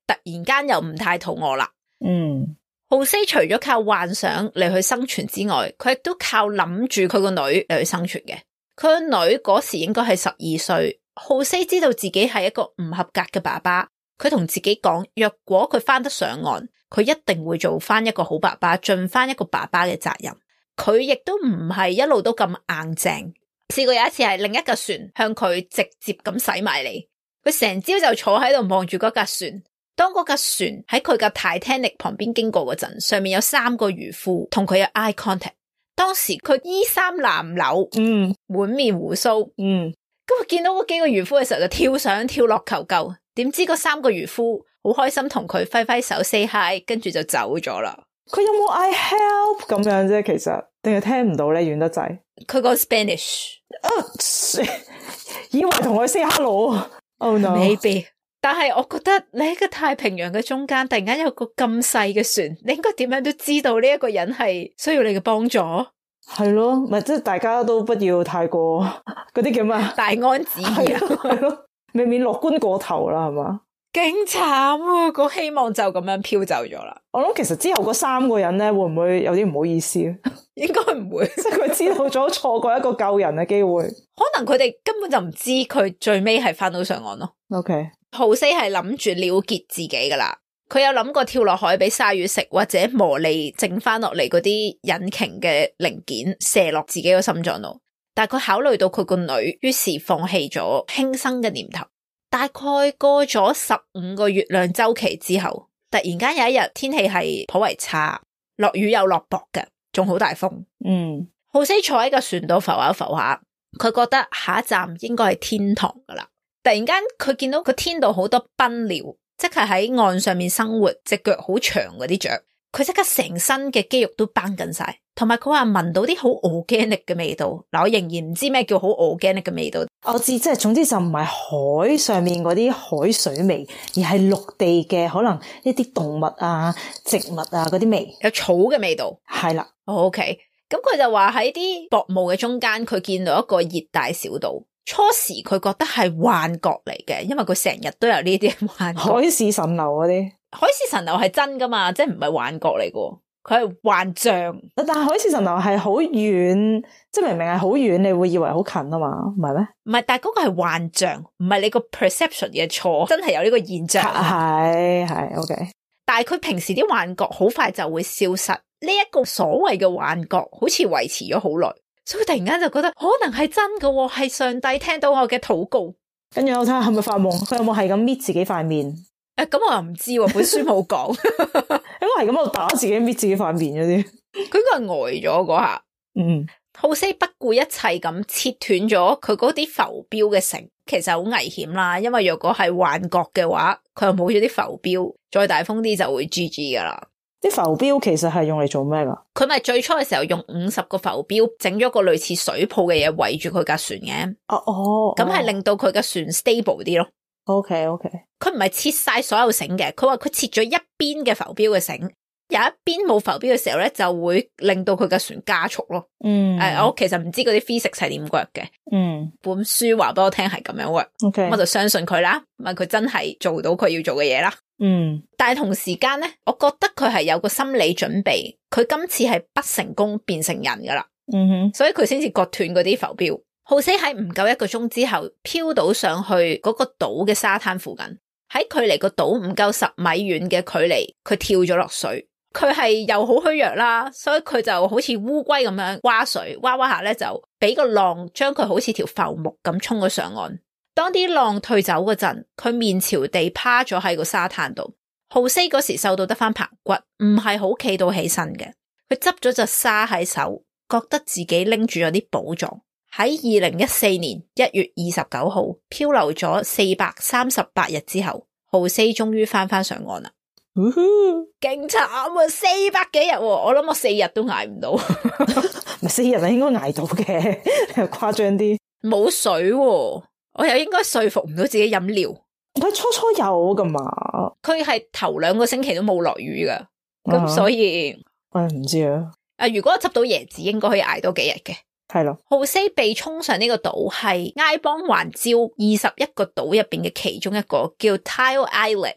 突然間又唔太肚餓啦。嗯，浩西除咗靠幻想嚟去生存之外，佢亦都靠諗住佢個女嚟去生存嘅。佢個女嗰時應該係十二歲，浩西知道自己係一個唔合格嘅爸爸，佢同自己講，若果佢翻得上岸，佢一定會做翻一個好爸爸，盡翻一個爸爸嘅責任。佢亦都唔係一路都咁硬淨。試過有一次係另一架船向佢直接咁駛埋嚟，佢成朝就坐喺度望住嗰架船。當嗰架船喺佢架 Titanic 旁邊經過嗰陣，上面有三個漁夫同佢有 eye contact。當時佢衣衫襤褸，嗯，滿面鬍鬚，嗯，咁佢見到嗰幾個漁夫嘅時候就跳上跳落求救。點知嗰三個漁夫好開心同佢揮揮手 say hi， 跟住就走咗啦。佢有冇 I help 咁樣啫？其實定係聽唔到咧，遠得滯。佢講 Spanish，啊，以為同佢 say hello。Oh no，maybe。但係我覺得你喺個太平洋嘅中間，突然間有個咁細嘅船，你應該點樣都知道呢一個人係需要你嘅幫助。係咯，咪即係大家都不要太過嗰啲叫咩大安旨意啊，係咯，未免樂觀過頭啦，係嘛？勁慘啊！個希望就咁樣飄走咗啦。我諗其實之後嗰三個人咧，會唔會有啲唔好意思？應該唔會，即係佢知道咗錯過一個救人嘅機會。可能佢哋根本就唔知佢最尾係翻到上岸咯。OK，浩西係諗住了結自己噶啦，佢有諗過跳落海俾鯊魚食，或者磨利剩翻落嚟嗰啲引擎嘅零件射落自己個心臟度，但係佢考慮到佢個女，於是放棄咗輕生嘅念頭。大概過咗十五個月亮週期之後，突然間有一日天氣係頗為差，落雨又落雹嘅，仲好大風。嗯，浩西坐喺個船度浮下浮下，佢覺得下一站應該係天堂噶啦。突然間佢見到個天度好多賓鳥，即係喺岸上面生活，隻腳好長嗰啲雀，佢即刻成身嘅肌肉都繃緊晒。同埋佢話聞到啲好 organic 嘅味道。嗱，我仍然唔知咩叫好 organic 嘅味道。我知，即係總之就唔係海上面嗰啲海水味，而係陸地嘅可能一啲動物啊、植物啊嗰啲味，有草嘅味道。係啦。OK，咁佢就話喺啲薄霧嘅中間，佢見到一個熱帶小島。初時佢覺得係幻覺嚟嘅，因為佢成日都有呢啲幻覺。海市蜃樓嗰啲，海市蜃樓係真噶嘛，即係唔係幻覺嚟嘅。佢係幻象。但係海市蜃樓係好遠，即係明明係好遠，你會以為好近啊嘛，唔係咩？唔係，但係嗰個係幻象，唔係你個 perception 嘅錯，真係有呢個現象。係係 OK，但係佢平時啲幻覺好快就會消失，呢、這、一個所謂嘅幻覺好似維持咗好耐，所以突然間就覺得可能係真嘅，係上帝聽到我嘅禱告。跟住我睇下係咪發夢，佢有冇係咁搣自己塊面？誒，咁我又唔知喎，本書冇講。應該係咁喺度打自己搣自己塊面嗰啲。佢應該係呆咗嗰下。嗯，浩西不顧一切咁切斷咗佢嗰啲浮標嘅繩，其實好危險啦。因為若果係幻覺嘅話，佢又冇咗啲浮標，再大風啲就會 G G 噶啦。啲浮標其實係用嚟做咩噶？佢咪最初嘅時候用五十個浮標整咗個類似水泡嘅嘢圍住佢架船嘅。哦哦，咁係令到佢架船 stable 啲咯。OK OK，佢唔係切晒所有繩嘅，佢話佢切咗一邊嘅浮標嘅繩，有一邊冇浮標嘅時候咧，就會令到佢架船加速咯。嗯，誒、呃，我其實唔知嗰啲 physics 係點 work 嘅。嗯，本書話俾我聽係咁樣 work。OK，我就相信佢啦，問佢真係做到佢要做嘅嘢啦。嗯，但係同時間咧，我覺得佢係有個心理準備，佢今次係不成功變成人噶啦。嗯哼，所以佢先至割斷嗰啲浮標。浩西喺唔夠一個鐘之後飄到上去嗰個島嘅沙灘附近，喺距離個島唔夠十米遠嘅距離，佢跳咗落水。佢係又好虛弱啦，所以佢就好似烏龜咁樣划水，划划下咧就俾個浪將佢好似條浮木咁衝咗上岸。當啲浪退走嗰陣，佢面朝地趴咗喺個沙灘度。浩西嗰時瘦到得翻棚骨，唔係好企到起身嘅。佢執咗隻沙喺手，覺得自己拎住咗啲寶藏。喺二零一四年一月二十九號漂流咗四百三十八日之後，浩西終於翻翻上岸啦。勁慘啊！四百幾日，我諗我四日都捱唔到。咪四日啊，應該捱到嘅，誇張啲。冇水喎，我又應該說服唔到自己飲料。佢初初有噶嘛？佢係頭兩個星期都冇落雨噶，咁、uh-huh. 所以我唔知啊。啊，如果我執到椰子，應該可以捱多幾日嘅。係咯，浩西被衝上呢個島係埃邦環礁二十一個島入邊嘅其中一個，叫 Tile Island，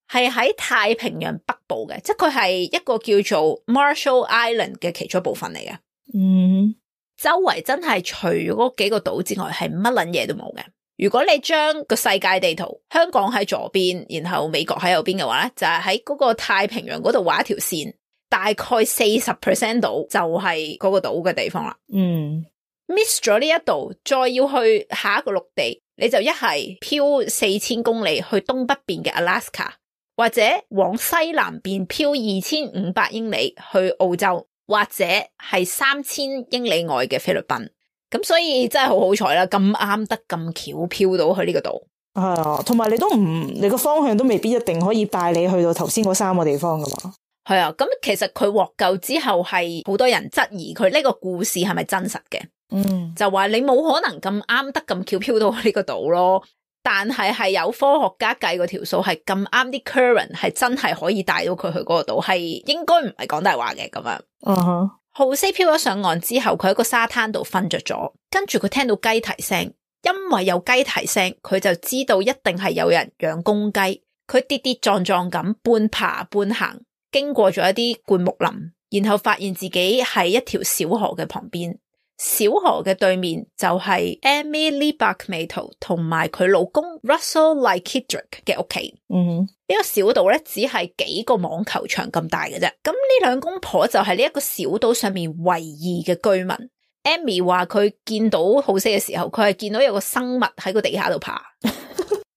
係喺太平洋北部嘅，即係佢係一個叫做 Marshall Island 嘅其中一部分嚟嘅。嗯，周圍真係除咗嗰幾個島之外，係乜撚嘢都冇嘅。如果你將個世界地圖，香港喺左邊，然後美國喺右邊嘅話咧，就係喺嗰個太平洋嗰度畫一條線。大概四十 percent 度就係嗰個島嘅地方啦。嗯 ，miss 咗呢一度，再要去下一個陸地，你就一係漂四千公里去東北邊嘅 Alaska， 或者往西南邊漂二千五百英里去澳洲，或者係三千英里外嘅菲律賓。咁所以真係好好彩啦，咁啱得咁巧漂到去呢個島。係啊，同埋你都唔，你個方向都未必一定可以帶你去到頭先嗰三個地方噶嘛。係啊，咁其實佢獲救之後係好多人質疑佢呢個故事係咪真實嘅。嗯，就話你冇可能咁啱得咁巧飄到呢個島咯，但係係有科學家計過條數，係咁啱啲 current 係真係可以帶到佢去嗰個島，係應該唔係講大話嘅咁樣。嗯哼，浩西飄咗上岸之後，佢喺個沙灘度瞓着咗，跟住佢聽到雞啼聲，因為有雞啼聲，佢就知道一定係有人養公雞。佢跌跌撞撞咁半爬半行，經過咗一啲灌木林，然後發現自己喺一條小河嘅旁邊。小河嘅對面就係 Emily Buckmato 同埋佢老公 Russell Likidrick 嘅屋企。嗯哼，呢個小島咧只係幾個網球場咁大嘅啫。咁呢兩公婆就係呢一個小島上面唯二嘅居民。Amy 話佢見到浩西嘅時候，佢係見到有個生物喺個地下度爬，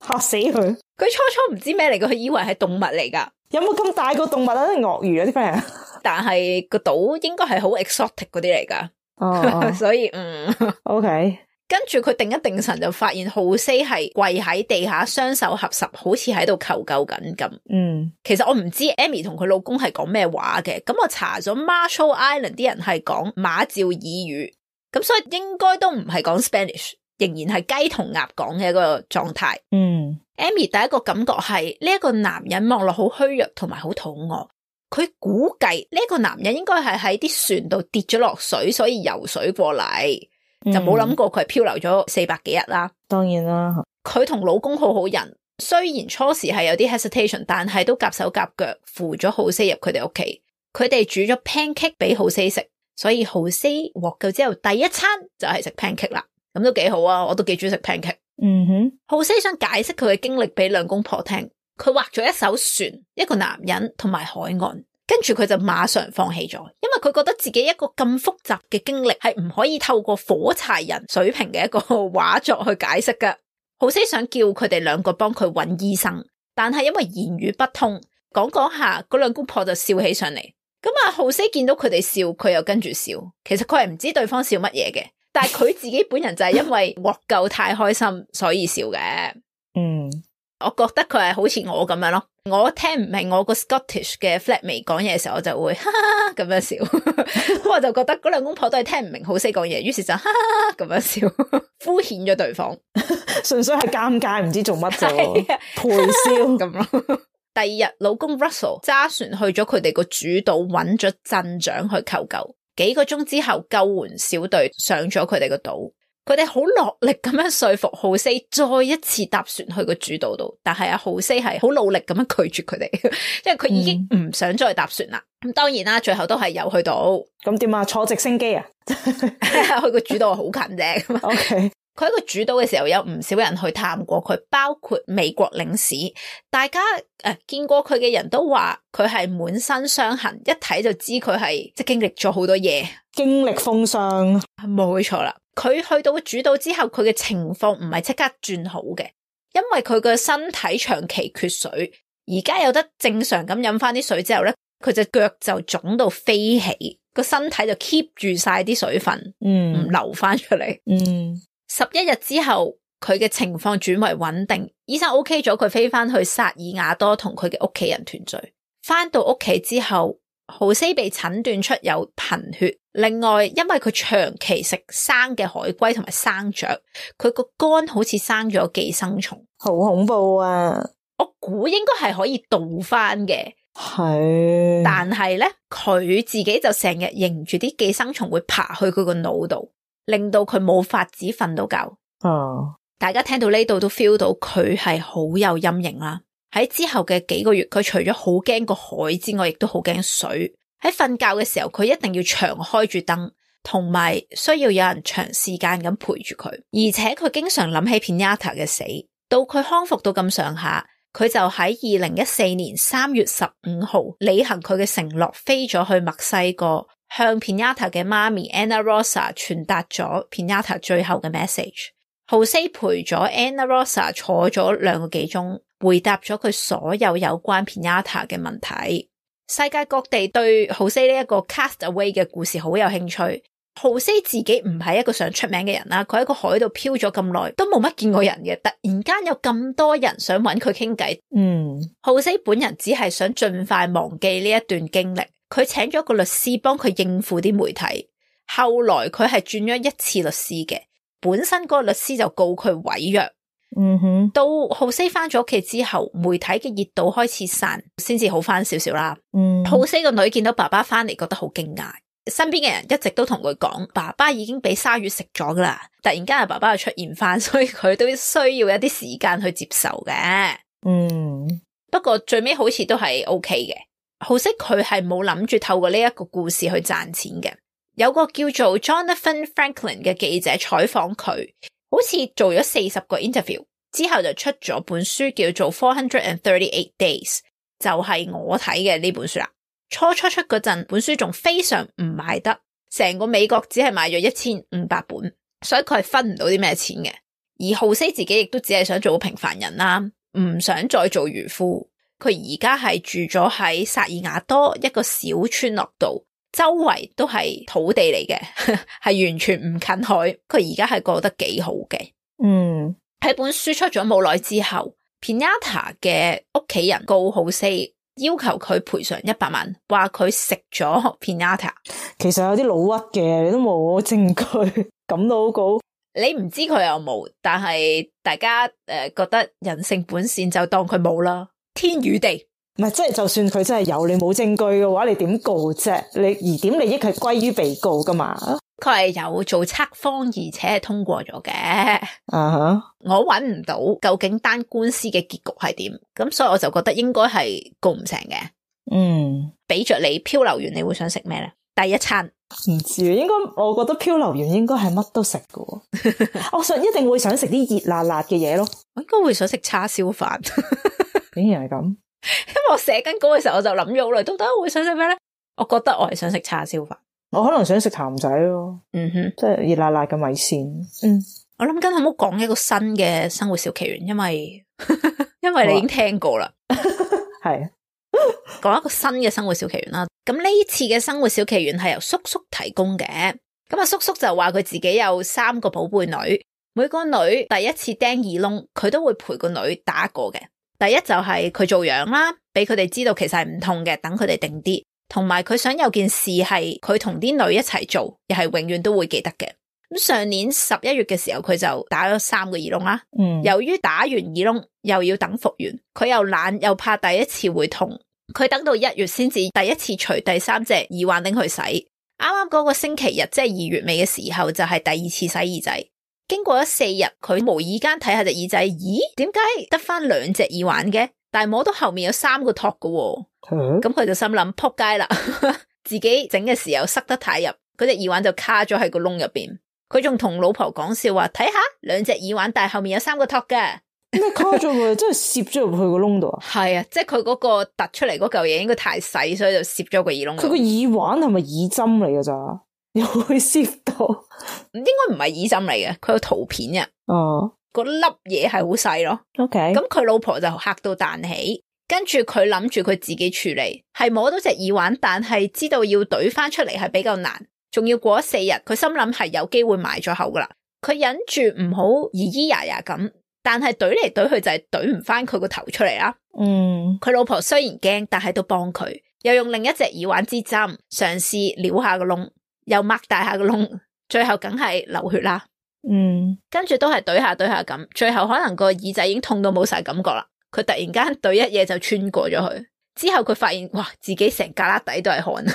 嚇死佢！佢初初唔知咩嚟嘅，佢以為係動物嚟噶。有冇咁大個動物啊？鱷魚啊啲 friend？但係個島應該係好 exotic 嗰啲嚟噶。哦，所以嗯 ，OK。跟住佢定一定神就發現浩西係跪喺地下，雙手合十，好似喺度求救緊咁。嗯，其實我唔知 Amy 同佢老公係講咩話嘅，咁我查咗 Marshall Island 啲人係講馬紹爾語，咁所以應該都唔係講 Spanish，仍然係雞同鴨講嘅一個狀態。嗯 ，Amy 第一個感覺係呢一個男人望落好虛弱同埋好肚餓。佢估計呢個男人應該係喺啲船度跌咗落水，所以游水過嚟，嗯，就冇諗過佢係漂流咗四百幾日啦。當然啦，佢同老公好好人，雖然初時係有啲 hesitation，但係都夾手夾腳扶咗浩西入佢哋屋企。佢哋煮咗 pancake 俾浩西食，所以浩西獲救之後第一餐就係食 pancake 啦，咁都幾好啊，我都幾中意食 pancake。嗯哼，浩西想解釋佢嘅經歷俾兩公婆聽，佢畫咗一艘船，一個男人同埋海岸，跟住佢就馬上放棄咗，因為佢覺得自己一個咁複雜嘅經歷係唔可以透過火柴人水平嘅一個畫作去解釋㗎。浩西想叫佢哋兩個幫佢揾醫生，但係因為言語不通，講講下嗰兩公婆就笑起上嚟。咁啊，浩西見到佢哋笑，佢又跟住笑。其實佢係唔知對方笑乜嘢嘅，但係佢自己本人就係因為獲救太開心，所以笑嘅。嗯，我覺得佢係好似我咁樣咯。我聽唔明我個 Scottish 嘅 flatmate 講嘢嘅時候，我就會哈哈咁樣笑。咁我就覺得嗰兩公婆都係聽唔明浩西講嘢，於是就哈哈咁樣笑，敷衍咗對方。純粹係尷尬，唔知做乜啫，陪笑咁咯。第二日，老公 Russell 揸船去咗佢哋個主島，揾咗鎮長去求救。幾個鐘之後，救援小隊上咗佢哋個島，佢哋好落力咁樣說服浩西再一次搭船去個主島度，但係阿浩西係好努力咁樣拒絕佢哋，因為佢已經唔想再搭船啦。咁、嗯、當然啦，最後都係有去到。咁點啊？坐直升機啊？去個主島好近啫。OK。佢喺個主島嘅時候，有唔少人去探過佢，包括美國領事。大家誒、呃、見過佢嘅人都話佢係滿身傷痕，一睇就知佢係即係經歷咗好多嘢，經歷風霜。冇錯啦。佢去到主島之後，佢嘅情況唔係即刻轉好嘅，因為佢嘅身體長期缺水。而家有得正常咁飲翻啲水之後咧，佢隻腳就腫到飛起，個身體就 keep 住晒啲水分，嗯，唔流翻出嚟，嗯。十一日之後，佢嘅情況轉為穩定，醫生 OK 咗佢飛翻去薩爾瓦多同佢嘅屋企人團聚。翻到屋企之後，浩西被診斷出有貧血，另外因為佢長期食生嘅海龜同埋生雀，佢個肝好似生咗寄生蟲，好恐怖啊！我估應該係可以盜翻嘅，係，但係咧佢自己就成日認住啲寄生蟲會爬去佢個腦度，令到佢冇法子瞓到覺。哦，大家聽到呢度都 feel 到佢係好有陰影啦。喺之後嘅幾個月，佢除咗好驚個海之外，亦都好驚水。喺瞓覺嘅時候，佢一定要長開住燈，同埋需要有人長時間咁陪住佢。而且佢經常諗起 Pinata 嘅死。到佢康復到咁上下，佢就喺二零一四年三月十五號履行佢嘅承諾，飛咗去墨西哥，向 Pinata 嘅媽咪 Ana Rosa 傳達咗 Pinata 最後嘅 message。浩西陪咗 Ana Rosa 坐咗兩個幾鐘，回答咗佢所有有關 Pinata 嘅問題。世界各地對浩西呢一個 castaway 嘅故事好有興趣。浩西自己唔係一個想出名嘅人啦，佢喺個海度漂咗咁耐，都冇乜見過人嘅。突然間有咁多人想揾佢傾偈，嗯，浩西本人只係想盡快忘記呢一段經歷。佢請咗個律師幫佢應付啲媒體，後來佢係轉咗一次律師嘅。本身嗰個律師就告佢毀約，嗯哼。到浩西翻咗屋企之後，媒體嘅熱度開始散，先至好翻少少啦。嗯，浩西個女見到爸爸翻嚟，覺得好驚訝。身邊嘅人一直都同佢講，爸爸已經俾鯊魚食咗噶啦。突然間阿爸爸又出現翻，所以佢都需要一啲時間去接受嘅。嗯，不過最尾好似都係 OK 嘅。浩西佢係冇諗住透過呢一個故事去賺錢嘅。有個叫做 Jonathan Franklin 嘅記者採訪佢，好似做咗四十個 interview 之後就出咗本書叫做 four hundred thirty-eight days， 就係我睇嘅呢本書啦。初初出嗰陣，本書仲非常唔賣得，成個美國只係賣咗一千五百本，所以佢係分唔到啲咩錢嘅。而浩西自己亦都只係想做個平凡人啦，唔想再做漁夫。佢而家係住咗喺薩爾瓦多一個小村落度。周圍都係土地嚟嘅，係完全唔近海。佢而家係過得幾好嘅。嗯，喺本書出咗冇耐之後 Pinata 嘅屋企人告浩西，要求佢賠償一百萬，話佢食咗 Pinata。其實有啲老屈嘅，你都冇證據，咁都好告。你唔知佢有冇，但係大家誒、呃、覺得人性本善，就當佢冇啦。天與地。唔係，即係就算佢真係有，你冇證據嘅話，你點告啫？你疑點利益係歸於被告噶嘛？佢係有做測謊，而且係通過咗嘅。啊哈、uh-huh. 我搵唔到究竟單官司嘅結局係點，咁所以我就覺得應該係告唔成嘅。嗯，俾着你漂流完，你會想食咩咧？第一餐唔知啊，應該我覺得漂流完應該係乜都食㗎。我想一定會想食啲熱辣辣嘅嘢咯。我應該會想食叉燒飯。竟然係咁，因為我寫緊稿嘅時候，我就諗咗好耐，到底我會想食咩咧？我覺得我係想食叉燒飯。我可能想食譚仔咯。嗯哼，即係熱辣辣嘅米線。嗯，我諗緊可唔可以講一個新嘅生活小奇緣，因為因為你已經聽過啦。係講一個新嘅生活小奇緣啦。咁呢次嘅生活小奇緣係由叔叔提供嘅。咁啊，叔叔就話佢自己有三個寶貝女，每個女第一次釘耳窿，佢都會陪個女打一個嘅。第一就係佢做樣啦，俾佢哋知道其實係唔痛嘅，等佢哋定啲。同埋佢想有件事係佢同啲女一齊做，又係永遠都會記得嘅。咁上年十一月嘅時候，佢就打咗三個耳窿啦。嗯，由於打完耳窿又要等復原，佢又懶又怕第一次會痛，佢等到一月先至第一次除第三隻耳環拎去洗。啱啱嗰個星期日，即係二月尾嘅時候，就係第二次洗耳仔。經過咗四日，佢無意間睇下隻耳仔，咦？點解得翻兩隻耳環嘅？但係摸到後面有三個托嘅喎。咁佢、嗯、就心諗撲街啦，自己整嘅時候塞得太入，嗰隻耳環就卡咗喺個窿入邊。佢仲同老婆講笑話，睇下兩隻耳環，但係後面有三個托嘅。咩卡咗佢？真係攝咗入去個窿度啊？係啊，即係佢嗰個突出嚟嗰嚿嘢應該太細，所以就攝咗個耳窿。佢個耳環係咪耳針嚟嘅咋？又會攝到？應該唔係耳針嚟嘅，佢有圖片嘅。哦，嗰粒嘢係好細咯。OK，咁佢老婆就嚇到彈起。跟住佢諗住佢自己處理，係摸到隻耳環，但係知道要懟翻出嚟係比較難，仲要過咗四日，佢心諗係有機會埋咗口噶啦。佢忍住唔好咿咿呀呀咁，但係懟嚟懟去就係懟唔翻佢個頭出嚟啦。嗯，佢老婆雖然驚，但係都幫佢，又用另一隻耳環支針嘗試撩下個窿，又擘大下個窿，最後梗係流血啦。嗯，跟住都係懟下懟下咁，最後可能個耳仔已經痛到冇晒感覺啦。佢突然間對一嘢就穿過咗去，之後佢發現哇，自己成旮旯底都係汗。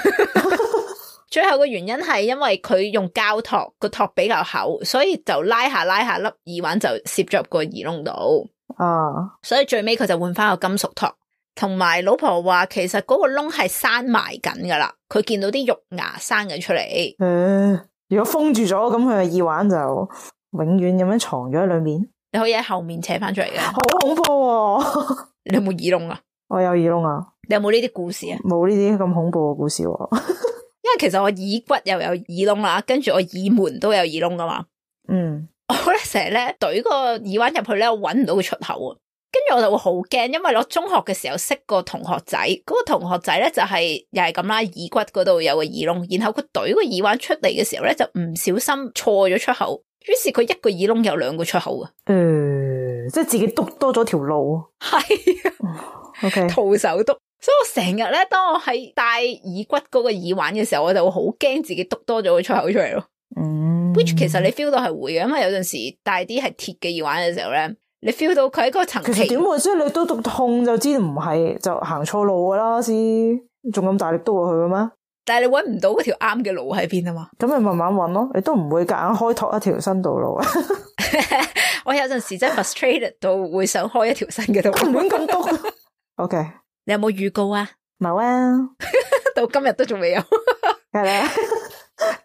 最後個原因係因為佢用膠托，個托比較厚，所以就拉下拉下粒耳環就攝咗入個耳窿度。啊，所以最尾佢就換翻個金屬托。同埋老婆話，其實嗰個窿係閂埋緊噶啦，佢見到啲肉芽生緊出嚟。誒、呃，如果封住咗，咁佢嘅耳環就永遠咁樣藏咗喺裏面。你可以喺後面扯翻出嚟嘅，好恐怖喎！你有冇耳窿啊？我有耳窿啊！你有冇呢啲故事啊？冇呢啲咁恐怖嘅故事喎。因為其實我耳骨又有耳窿啦，跟住我耳門都有耳窿噶嘛。嗯，我咧成日咧懟個耳環入去咧，我搵唔到個出口啊。跟住我就會好驚，因為我中學嘅時候識個同學仔，嗰、那個同學仔咧就係、是、又係咁啦，耳骨嗰度有個耳窿，然後佢懟個耳環出嚟嘅時候咧，就唔小心錯咗出口。於是佢一個耳窿有兩個出口啊！誒、呃，即係自己篤多咗條路。係，O K，徒手篤。所以我成日咧，當我喺戴耳骨嗰個耳環嘅時候，我就會好驚自己篤多咗個出口出嚟咯。嗯 ，which 其實你 feel 到係會嘅，因為有陣時戴啲係鐵嘅耳環嘅時候咧，你 feel 到佢喺嗰個層。其實點會？即係你都篤痛就知唔係就行錯路噶啦，先仲咁大力篤落去嘅咩？但係你搵唔到嗰條啱嘅路喺邊啊嘛？咁你慢慢搵咯，你都唔會夾硬開拓一條新道路啊！我有陣時真係 frustrated 到會想開一條新嘅道路，唔會咁篤。O K，你有冇預告啊？冇啊，到今日都仲未有。係啦。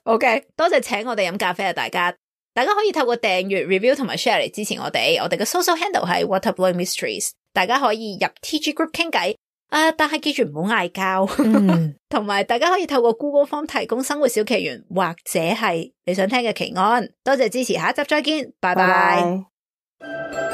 O K，多謝請我哋飲咖啡啊！大家，大家可以透過訂閱、review 同埋 share 嚟支持我哋。我哋嘅 social handle 係 Waterblowing Mysteries， 大家可以入 T G group 傾偈。啊！但係記住唔好嗌交，同埋、嗯、大家可以透過 Google Form 提供生活小奇緣，或者係你想聽嘅奇案。多謝支持，下一集再見，拜拜。Bye bye